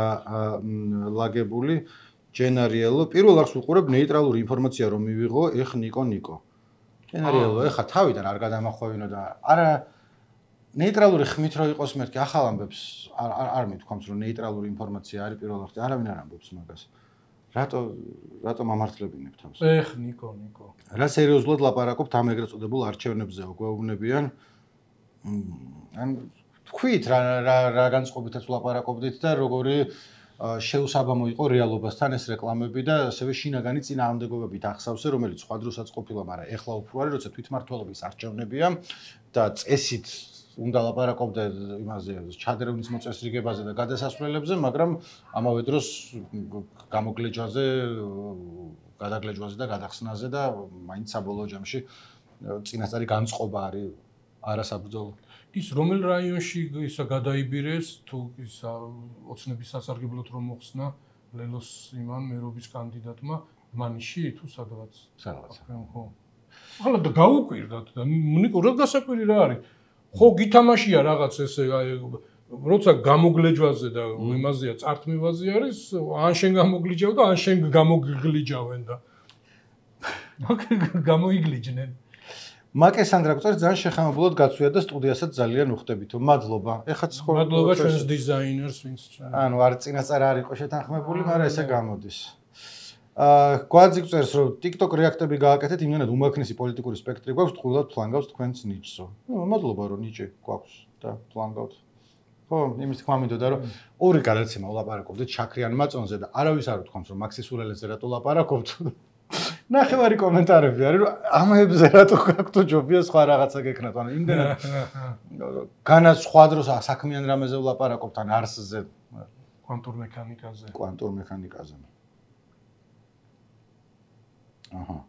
ლაგებული ჯენარიელო. პირველ არხს ვუყურებ ნეიტრალური ინფორმაცია რომ მივიღო ეხ ნიკო ნიკო. ჯენარიელო ეხა თავიდან არ გადამახვევინო და არა ნეიტრალური ხმით რო იყოს მეთქი ახალ ამბებს არ არ მithქვამს რომ ნეიტრალური ინფორმაცია არის პირველ არხზე. არავინ არ ამბობს მაგას. რატო რატო მამართლებინებ თავს? ეხ ნიკო ნიკო. რა სერიოზულად ლაპარაკობთ ამ ეგრეთ წოდებულ არჩევნებზე გვეუბნებიან. ან თქვით რა რა რა განწყობითაც ლაპარაკობდით და როგორი შეუსაბამო იყო რეალობასთან ეს რეკლამები და ასევე შინაგანი წინააღმდეგობებით ახსავსე, რომელიც სხვა დროსაც ყოფილა, მაგრამ ეხლა უფრო არის, როცა თვითმმართველობის არჩევნებია და წესით უნდა ლაპარაკობდე იმაზე ჩადრევნის მოწესრიგებაზე და გადასასვლელებზე, მაგრამ ამავე დროს გამოგლეჯვაზე, გადაგლეჯვაზე და გადახსნაზე და მაინც საბოლოო ჯამში წინასწარი განწყობა არის არასაბრძოლო. ის რომელ რაიონში ისა გადაიბირეს თუ ისა ოცნების სასარგებლოდ რომ მოხსნა ლელოს იმან მერობის კანდიდატმა მანიში თუ სადღაც სადღაც ხო ახლა და გაუკვირდათ და ნიკო რა გასაკვირი რა არის ხო გითამაშია რაღაც ესე როცა გამოგლეჯვაზე და იმაზეა წართმევაზე არის ან შენ გამოგლიჯავ და ან შენ გამოგლიჯავენ და გამოიგლიჯნენ მაკესანდრა გწევს ძალიან შეხამებულად გაცვია და სტუდიასაც ძალიან უხდებით. მადლობა. ეხაც ხო მადლობა ჩვენს დიზაინერს ვინც ანუ არ წინასწარ არ იყო შეთანხმებული, მაგრამ ესე გამოდის. აა გვაძი გწევს რომ TikTok რეაქტები გააკეთეთ, იმენად უმაქნესი პოლიტიკური სპექტრი გვაქვს, თქვილად ფლანგავს თქვენს ნიჭსო. ნუ მადლობა რომ ნიჭი გვაქვს და ფლანგავთ. ხო, იმის თქმა მინდოდა რომ ორი გადაცემა ვლაპარაკობდით შაქრიან მაწონზე და არავის არ უთქვამს რომ მაქსის ულელეზე რატო ლაპარაკობთ. ნახევარი კომენტარები არის რომ ამებზე რატო გაქვთ ჯობია სხვა რაღაცა გეკნათ ანუ იმდენად განა სხვა დროს საქმიან რამეზე ვლაპარაკობთ ან არსზე კვანტურ მექანიკაზე კვანტურ მექანიკაზე აჰა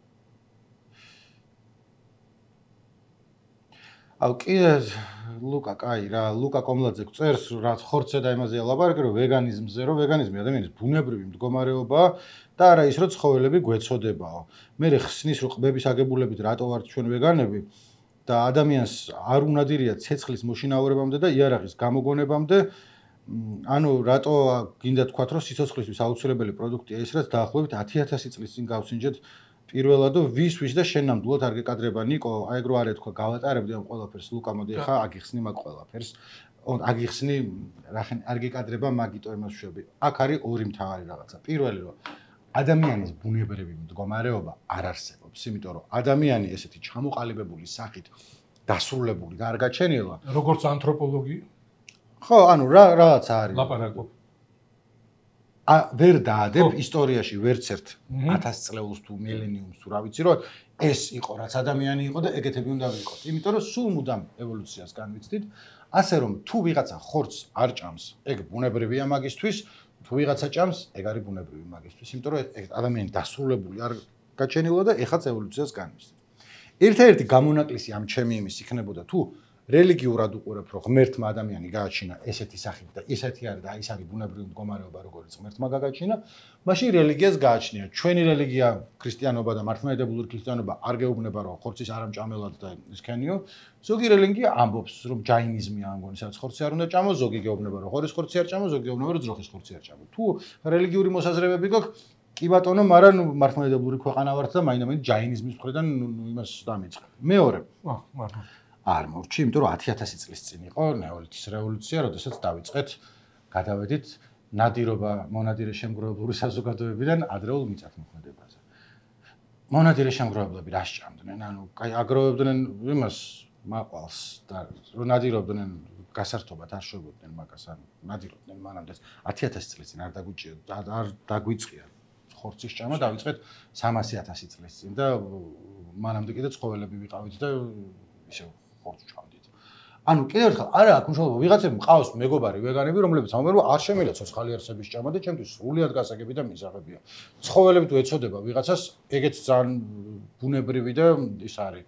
აუ კიდე ლუკა კაი რა ლუკა კომლაძე წერს რაც ხორცე და იმაზეა ლაპარაკი რომ ვეგანიზმზე რომ ვეგანიზმი ადამიანის ბუნებრივი მდგომარეობაა და არა ის რომ ცხოველები გვეწოდებაო. მე ხსნის რომ ყბების აგებულებით რატო ვართ ჩვენ ვეგანები და ადამიანს არ უნდა დირია ცეცხლის მოშინაურებამდე და იარაღის გამოგონებამდე ანუ რატო გინდა თქვათ რომ სიცოცხლისთვის აუცილებელი პროდუქტია ის რაც დაახლოებით ათი ათასი წლის წინ გავსინჯეთ პირველადო ვის ვის და შენ ნამდვილად არ გეკადრება ნიკო აი ეგ რო არ ეთქვა გავატარებდი ამ ყველაფერს ლუკა მოდი ხა აგიხსნი მაგ ყველაფერს აგიხსნი რახენ არ გეკადრება მაგიტო იმას შვები აქ არის ორი მთავარი რაღაცა პირველი რომ ადამიანის ბუნებრივი მდგომარეობა არ არსებობს იმიტომ რომ ადამიანი ესეთი ჩამოყალიბებული სახით დასრულებული და არ გაჩენილა როგორც ანთროპოლოგი ხო ანუ რა რაღაც არის ლაპარაკობ ა ვერ დაადებ ისტორიაში ვერც ერთ ათას წლეულს თუ მილენიუმს თუ რა ვიცი რომ ეს იყო რაც ადამიანი იყო და ეგეთები უნდა ვიყოთ იმიტომ რომ სულ მუდამ ევოლუციას განვიცდით ასე რომ თუ ვიღაცა ხორცს არ ჭამს ეგ ბუნებრივია მაგისთვის თუ ვიღაცა ჭამს ეგ არის ბუნებრივი მაგისთვის იმიტომ რომ ადამიანი დასრულებული არ გაჩენილა და ეხაც ევოლუციას განვიცდით ერთ-ერთი გამონაკლისი ამ ჩემი იმის იქნებოდა თუ რელიგიურად უყურებ რომ ღმერთმა ადამიანი გააჩინა ესეთი სახით და ესეთი არის და ის არის ბუნებრივი მდგომარეობა როგორც ღმერთმა გაგაჩინა მაშინ რელიგიას გააჩნია ჩვენი რელიგია ქრისტიანობა და მართლმადიდებლური ქრისტიანობა არ გეუბნება რომ ხორცის არამჭამელად და ისქენიო ზოგი რელიგია ამბობს რომ ჯაინიზმია ამგონი სადაც ხორცი არ უნდა ჭამო ზოგი გეუბნება რომ ხორის ხორცი არ ჭამო ზოგი გეუბნება რომ ძროხის ხორცი არ ჭამო თუ რელიგიური მოსაზრებები გაქვს კი ბატონო მაგრამ მართლმადიდებლური ქვეყანა ვართ და მაინდა-მაინც ჯაინიზმის მხრიდან იმას დამიწყე მეორე აა მართლა არ მორჩი, იმიტომ რომ ათი ათასი წლის წინ იყო ნეოლითის რევოლუცია, როდესაც დავიწყეთ გადავედით ნადირობა მონადირე შემგროვებლური საზოგადოებიდან ადრეულ მიწათმოქმედებაზე. მონადირე შემგროვებლები რა სჭამდნენ? ანუ კაი აგროვებდნენ იმას მაყვალს და რო ნადირობდნენ გასართობად არ შვებოდნენ მაგას, ანუ ნადირობდნენ მანამდე ათი ათასი წლის წინ არ დაგვიჭია არ დაგვიწყია ხორცის ჭამა, დავიწყეთ სამასი ათასი წლის წინ და მანამდე კიდე ცხოველები ვიყავით და ისე ხორცს ჭამდით. ანუ კიდევ ერთხელ არა აქვს მნიშვნელობა, ვიღაცები მყავს მეგობარი ვეგანები, რომლებიც ამბობენ, რომ არ შემიძლია ცოცხალი არსების ჭამა და ჩემთვის სრულიად გასაგები და მისაღებია. ცხოველები თუ ეცოდება ვიღაცას, ეგეც ძალიან ბუნებრივი და ის არის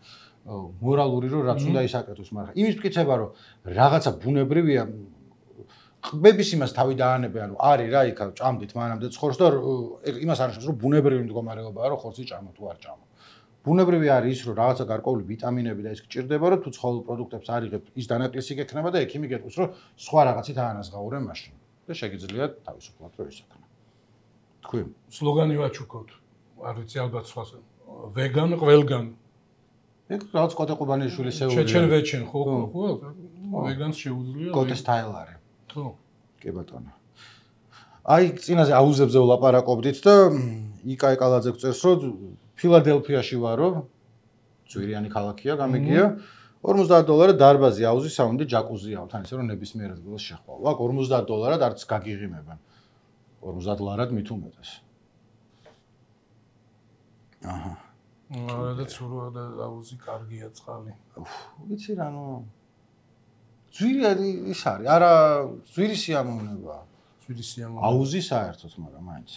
მორალური, რომ რაც უნდა ისაკეთოს, მაგრამ იმის მტკიცება, რომ რაღაცა ბუნებრივია, ყბების იმას თავი დაანებე, ანუ არის რა იქ ჭამდით მანამდე ცხორს და იმას არ ნიშნავს, რომ ბუნებრივი მდგომარეობაა, რომ ხორცი ჭამა თუ არ ჭამა. ბუნებრივი არის ის, რომ რაღაცა გარკვეული ვიტამინები და ის გჭირდება, რომ თუ ცხოველ პროდუქტებს არიღებ, ის დანაკლისი გექნება და ექიმი გეტყვის, რომ სხვა რაღაცით აანაზღაურე მაშინ და შეგიძლიათ თავისუფლად რო ისაქნა. თქვი, სლოგანი ვაჩუქოთ. არ ვიცი ალბათ სხვა ვეგან, ყველგან. ეგ რაღაც კოტე ყუბანიშვილის შეუძლია. ჩეჩენ ვეჩენ ხო ხო ვეგანს შეუძლია. კოტე სტაილ არის. ხო. კი ბატონო. აი წინაზე აუზებზე ვლაპარაკობდით და იკა ეკალაძე გწერს, რომ ფილადელფიაში ვარო, ძვირიანი ქალაქია, გამიგია. ორმოცდაათ დოლარად დარბაზი, აუზი, საუნდი, ჯაკუზი აქვს, თან ისე რომ ნებისმიერ ადგილას შეხვალ. ვაკ ორმოცდაათ დოლარად არც გაგიღიმებენ. ორმოცდაათ ლარად მით უმეტეს. აჰა. არა ცურვა და აუზი კარგია წყალი. ვიცი რა ნუ ძვირი ის არის, არა ძვირი სიამოვნებაა. ძვირი სიამოვნება. აუზი საერთოდ, მაგრამ მაინც.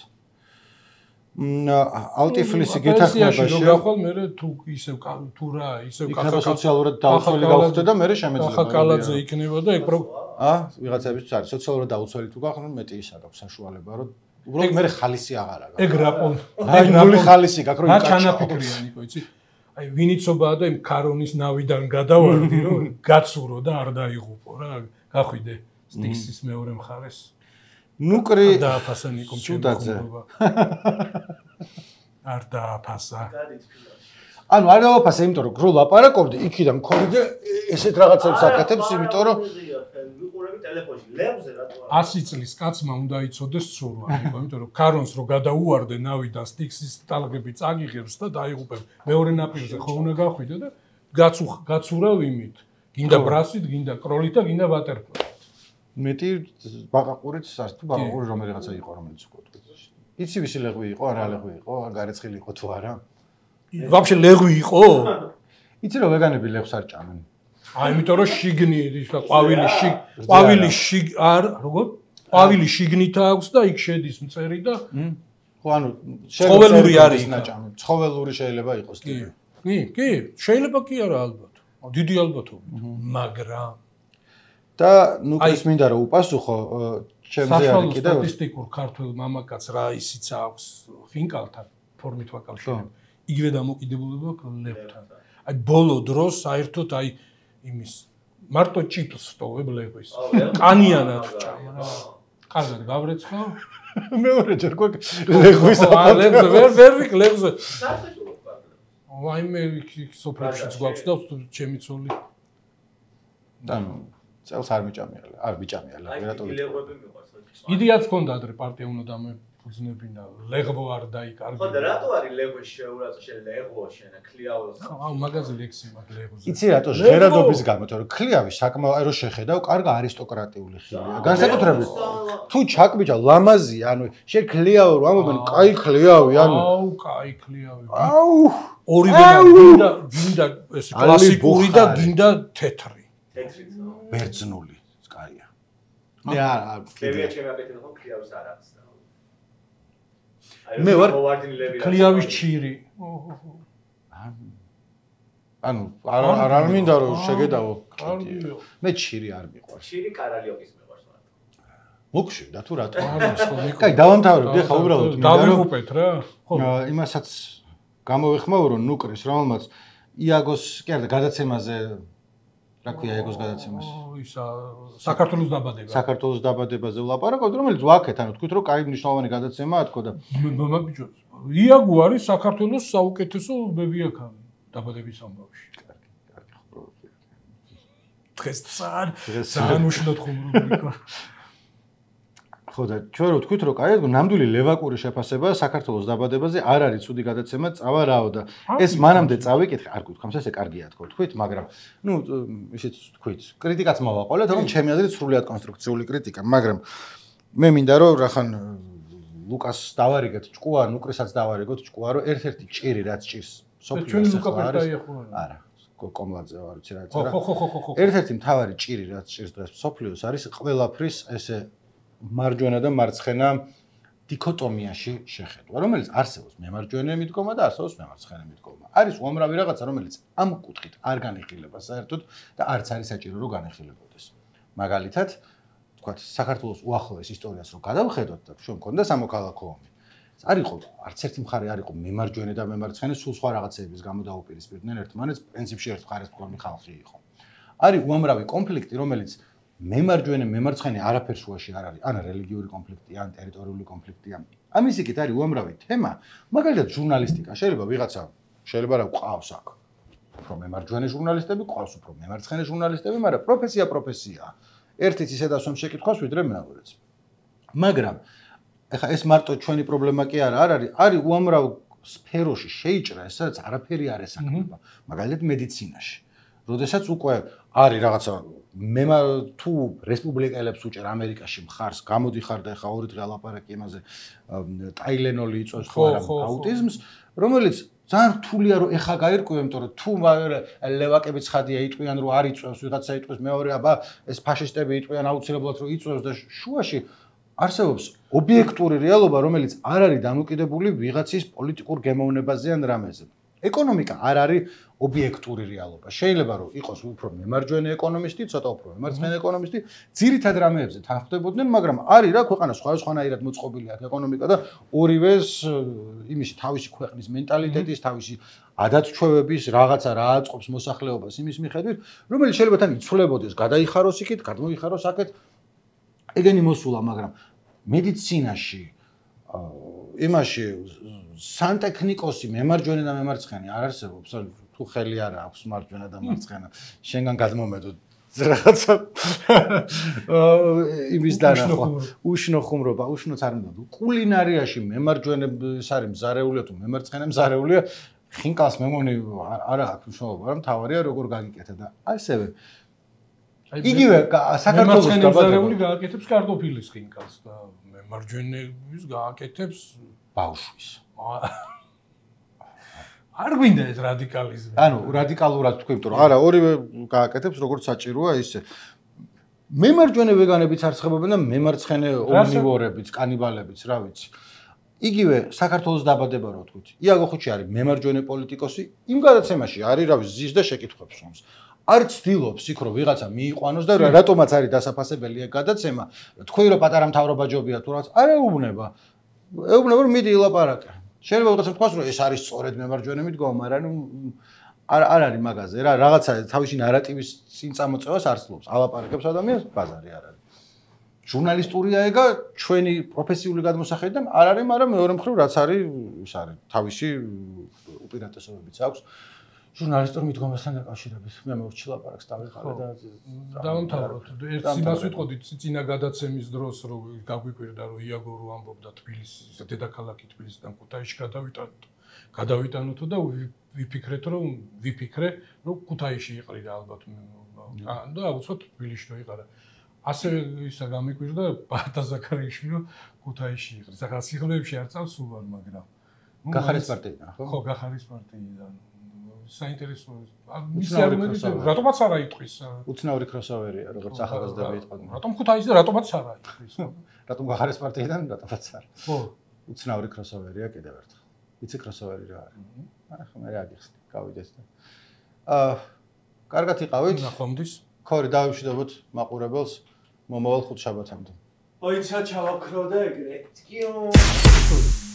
ალტიფლისი გეთახმებაში რომ გახვალ მე თუ ისევ თუ რა ისევ კახა სოციალურად დაუცველი გავხდე და მე შემეძლება. ახლა კალაძე იქნება და ეგ აა ვიღაცებისთვის არის სოციალურად დაუცველი თუ გახდნენ მეტი ის აქვს საშუალება რომ უბრალოდ მე ხალისი აღარ აქვს. ეგ რა პონ ეგ ნული ხალისი გაქვს რომ რა ჩანაფიქრიანიკო იცი? აი ვინიცობაა და იმ ქარონის ნავიდან გადავარდი რომ გაცურო და არ დაიღუპო რა გახვიდე სტიქსის მეორე მხარეს. ნუკრი დააფასა ნიკომ ჩუდაძე. არ დააფასა. ანუ არ დააფასა, იმიტომ რომ გრო ლაპარაკობდი, იქიდან მქონდა ესეთ რაღაცებს აკეთებს, იმიტომ რომ ვიყურები ტელეფონში, ლევზე რატო არა? ასი წლის კაცმა უნდა იცოდეს ცურვა, იმიტომ რომ ქარონს რო გადაუვარდე ნავიდან სტიქსის ტალღები წაგიღებს და დაიღუპებ. მეორე ნაპირზე ხო უნდა გახვიდე და გაცურავ იმით. გინდა ბრასით, გინდა კროლით და გინდა ვატერპოლით. მეტი ბაყაყურით სას თუ ბაყაყური რომელიღაცა იყო რომელიც უკვე თქვი. იცი ვისი ლეღვი იყო, არა ლეღვი იყო, გარეცხილი იყო თუ არა? ვაფშე ლეღვი იყო? იცი რომ ვეგანები ლეღვს არ ჭამენ. აი იმიტომ რომ შიგნი ის და ყვავილი შიგ ყვავილი შიგ არ როგორ? ყვავილი შიგნით აქვს და იქ შედის მწერი და ხო ანუ ცხოველური არის ნაჭამი. ცხოველური შეიძლება იყოს კი. კი, კი, შეიძლება კი არა ალბათ. დიდი ალბათობით. მაგრამ და ნუ ის მინდა რომ უპასუხო ჩემზე არის კიდევ სტატისტიკურ ქართულ მამაკაც რა ისიც აქვს ფინკალთან ფორმით ვაკავშირებ. იგივე დამოკიდებულება აქვს ლევთან. აი ბოლო დროს საერთოდ აი იმის მარტო ჭიპს ვტოვებ ლეღვის. კანიანად ჭამ რა. კარგად გავრეცხავ. მეორე ჯერ გვაქვს ლეღვის ლეღზე ვერ ვერ ვიქ ლეღზე. აი მე იქ სოფრებშიც გვაქვს და ჩემი ცოლი. ანუ წელს არ მიჭამია, არ მიჭამია ლეღერატო. აი ლეღვები მიყვარს. იდეაც ჰქონდა ადრე პარტია უნდა დამეფუძნებინა, ლეღვო არ დაიკარგა. ხო და რატო არის ლეღვი შეურაცხო შენ ლეღვო შენ ქლიაოს? აუ მაგაზე ლექსი მაგ ლეღვზე. იცი რატო ჟღერადობის გამო, თორე ქლიავი საკმაოდ რო შეხედავ, კარგა არისტოკრატიული ხილია. განსაკუთრებით თუ ჩაკბიჭა ლამაზია, ანუ შენ ქლიავ რო ამობენ, კაი ქლიავი, ანუ აუ კაი ქლიავი. აუ ორივე გინდა გინდა ეს კლასიკური და გინდა თეთრი. თეთრიც. ბერძნული კაია. მე არ ლევია ჩემი აკეთებ ხო ქლიავის არ აქვს და. მე ვარ ქლიავის ჩირი. ანუ არ არ არ მინდა რომ შეგედავო. მე ჩირი არ მიყვარს. ჩირი კარალიოკის მიყვარს მარტო. მოგშვიდა თუ რატო? არა სხვა. კაი, დავამთავრებდი ხა უბრალოდ მინდა რომ დავიღუპეთ რა. ხო. იმასაც გამოვეხმაურო ნუკრის, რომელმაც იაგოს კი არა გადაცემაზე რა ქვია ეგოს გადაცემას? ისა საქართველოს დაბადება. საქართველოს დაბადებაზე ვლაპარაკობთ, რომელიც ვაკეთ, ანუ თქვით რომ კაი მნიშვნელოვანი გადაცემაა თქო და მაგიჯო იაგო არის საქართველოს საუკეთესო ბებიაქანი დაბადების ამბავში. კარგი, კარგი ხმრობია. დღეს ძალიან ძალიან უშნოდ ხმრობია. ხო და ჩვენ რო თქვით რომ კაი ნამდვილი ლევაკური შეფასება საქართველოს დაბადებაზე არ არის ცუდი გადაცემა წავა რაო და ეს მანამდე წავიკითხე არ გითხრამს ესე კარგია თქო თქვით მაგრამ ნუ ისიც თქვით კრიტიკაც მოვაყოლეთ რომ ჩემი აზრით სრულიად კონსტრუქციული კრიტიკა მაგრამ მე მინდა რომ რახან ლუკას დავარიგეთ ჭკუა ნუკრისაც დავარიგოთ ჭკუა რომ ერთ-ერთი ჭირი რაც ჭირს სოფლიოს არის არა კომლაძე ვარ ვიცი რა წერა ხო ხო ხო ხო ერთ-ერთი მთავარი ჭირი რაც ჭირს დღეს სოფლიოს არის ყველაფრის ესე მარჯვენა და მარცხენა დიქოტომიაში შეხედვა, რომელიც არსებობს მემარჯვენე მიდგომა და არსებობს მემარცხენე მიდგომა. არის უამრავი რაღაცა, რომელიც ამ კუთხით არ განეხილება საერთოდ და არც არის საჭირო რომ განეხილებოდეს. მაგალითად, თქვათ, საქართველოს უახლოეს ისტორიას რო გადავხედოთ და ჩვენ მქონდა სამოქალაქო ომი. არ იყო არც ერთი მხარე არ იყო მემარჯვენე და მემარცხენე, სულ სხვა რაღაცეების გამო დაუპირისპირდნენ ერთმანეთს, პრინციპში ერთ მხარეს მქონი ხალხი იყო. არის უამრავი კონფლიქტი, რომელიც მემარჯვენე მემარცხენე არაფერ შუაში არ არის, ან რელიგიური კონფლიქტია, ან ტერიტორიული კონფლიქტია. ამის იქით არის უამრავი თემა, მაგალითად ჟურნალისტიკა, შეიძლება ვიღაცა შეიძლება რა ყავს აქ. უფრო მემარჯვენე ჟურნალისტები, ყავს უფრო მემარცხენე ჟურნალისტები, მაგრამ პროფესია პროფესიაა. ერთიც ისე დასვამ შეკითხვას, ვიდრე მეორეც. მაგრამ ეხლა ეს მარტო ჩვენი პრობლემა კი არა, არ არის, არის უამრავ სფეროში შეიჭრა ეს, სადაც არაფერი არ ესაკნება, მაგალითად მედიცინაში. როდესაც უკვე არის რაღაცა მე თუ რესპუბლიკელებს უჭერ ამერიკაში მხარს გამოდიხარ და ეხა ორი დღე ალაპარაკი იმაზე ტაილენოლი იწვევს ხო არა აუტიზმს რომელიც ძალიან რთულია რომ ეხა გაირკვევ იმიტომ რომ თუ ლევაკები ცხადია იტყვიან რომ არ იწვევს ვიღაცა იტყვის მეორე აბა ეს ფაშისტები იტყვიან აუცილებლად რომ იწვევს და შუაში არსებობს ობიექტური რეალობა რომელიც არ არის დამოკიდებული ვიღაცის პოლიტიკურ გემოვნებაზე ან რამეზე ეკონომიკა არ არის ობიექტური რეალობა. შეიძლება რომ იყოს უფრო მემარჯვენე ეკონომისტი, ცოტა უფრო მემარცხენე ეკონომისტი, ძირითად რამეებზე თანხმდებოდნენ, მაგრამ არის რა ქვეყანა სხვადასხვანაირად მოწყობილი აქვს ეკონომიკა და ორივეს იმისი თავისი ქვეყნის მენტალიტეტის, თავისი ადათ-ჩვევების რაღაცა რა აწყობს მოსახლეობას იმის მიხედვით, რომელიც შეიძლება თან იცვლებოდეს, გადაიხაროს იქით, გადმოიხაროს აქეთ. ეგენი მოსულა, მაგრამ მედიცინაში იმაში სანტექნიკოსი მემარჯვენე და მემარცხენე არ არსებობს თუ ხელი არ აქვს მარჯვენა და მარცხენა შენგან გადმომედო რაღაცა იმის დანახვა უშნო ხუმრობა უშნოც არ უნდა კულინარიაში მემარჯვენეს არის მზარეულია თუ მემარცხენე მზარეულია ხინკალს მე მგონი არ აქვს მნიშვნელობა რომ თავარია როგორ გაგიკეთა და ასევე იგივე საქართველოს მემარცხენე გააკეთებს კარტოფილის ხინკალს და მემარჯვენეების გააკეთებს ბავშვის არ გვინდა ეს რადიკალიზმი. ანუ რადიკალურად თქვი, იმიტომ რომ არა, ორივე გააკეთებს როგორც საჭიროა ისე. მემარჯვენე ვეგანებიც არსებობენ და მემარცხენე ომნივორებიც, კანიბალებიც, რა ვიცი. იგივე საქართველოს დაბადება რო თქვით. იაგო ხუჩი არის მემარჯვენე პოლიტიკოსი, იმ გადაცემაში არის რა ვიცი, ზის და შეკითხვებს ომს. არ ცდილობს იქ რომ ვიღაცა მიიყვანოს და რატომაც არის დასაფასებელი ეგ გადაცემა. თქვი რომ პატარა მთავრობა ჯობია თუ რაღაც, არ ეუბნება. ეუბნება რომ მიდი ილაპარაკე. შეიძლება ვიღაცამ თქვას რომ ეს არის სწორედ მემარჯვენე მიდგომა, მაგრამ ნუ არ არ არის მაგაზე რა, რაღაცა თავისი ნარატივის წინ წამოწევას არ ცდილობს. ალაპარაკებს ადამიანს, ბაზარი არ არის. ჟურნალისტურია ეგა ჩვენი პროფესიული გადმოსახედიდან არ არის, მაგრამ მეორე მხრივ რაც არის, ის არის თავისი უპირატესობებიც აქვს. ჟურნალისტურ მიდგომასთან დაკავშირებით. მე მოვჩი ლაპარაკს დავიხარე და დავამთავროთ. ერთ იმას ვიტყოდი წინა გადაცემის დროს, რომ გაგვიკვირდა, რომ იაგო რო ამბობდა თბილისის დედაქალაქი თბილისიდან ქუთაისში გადავიტანოთ. გადავიტანოთო და ვიფიქრეთ, რომ ვიფიქრე, რომ ქუთაისში იყრიდა ალბათ. და აუცილებლად თბილისში რო იყარა. ასევე ისა გამიკვირდა ბარდა ზაქარიაშვილი, რომ ქუთაისში იყრიდა. ახლა სიღრმეებში არ წავს სულ არ, მაგრამ გახარის პარტიიდან, ხო? ხო, გახარის პარტიიდან. საინტერესოა. მისი არგუმენტი რატომაც არ აიტყვის? უცნაური კროსოვერია, როგორც ახალგაზრდები იტყვიან. რატომ ქუთაისზე რატომაც არ აიტყვის? რატომ გახარის პარტიიდან რატომაც არ. ხო. უცნაური კროსოვერია კიდევ ერთხელ. იცი კროსოვერი რა არის? ახლა მე რა გიხსნი, გავიდეს და. აა, კარგად იყავით? ნახვამდის. ქორი დავიმშვიდობოთ მაყურებელს მომავალ ხუთშაბათამდე. ოიცა ჩავაქრო და ეგრე. ტკიო.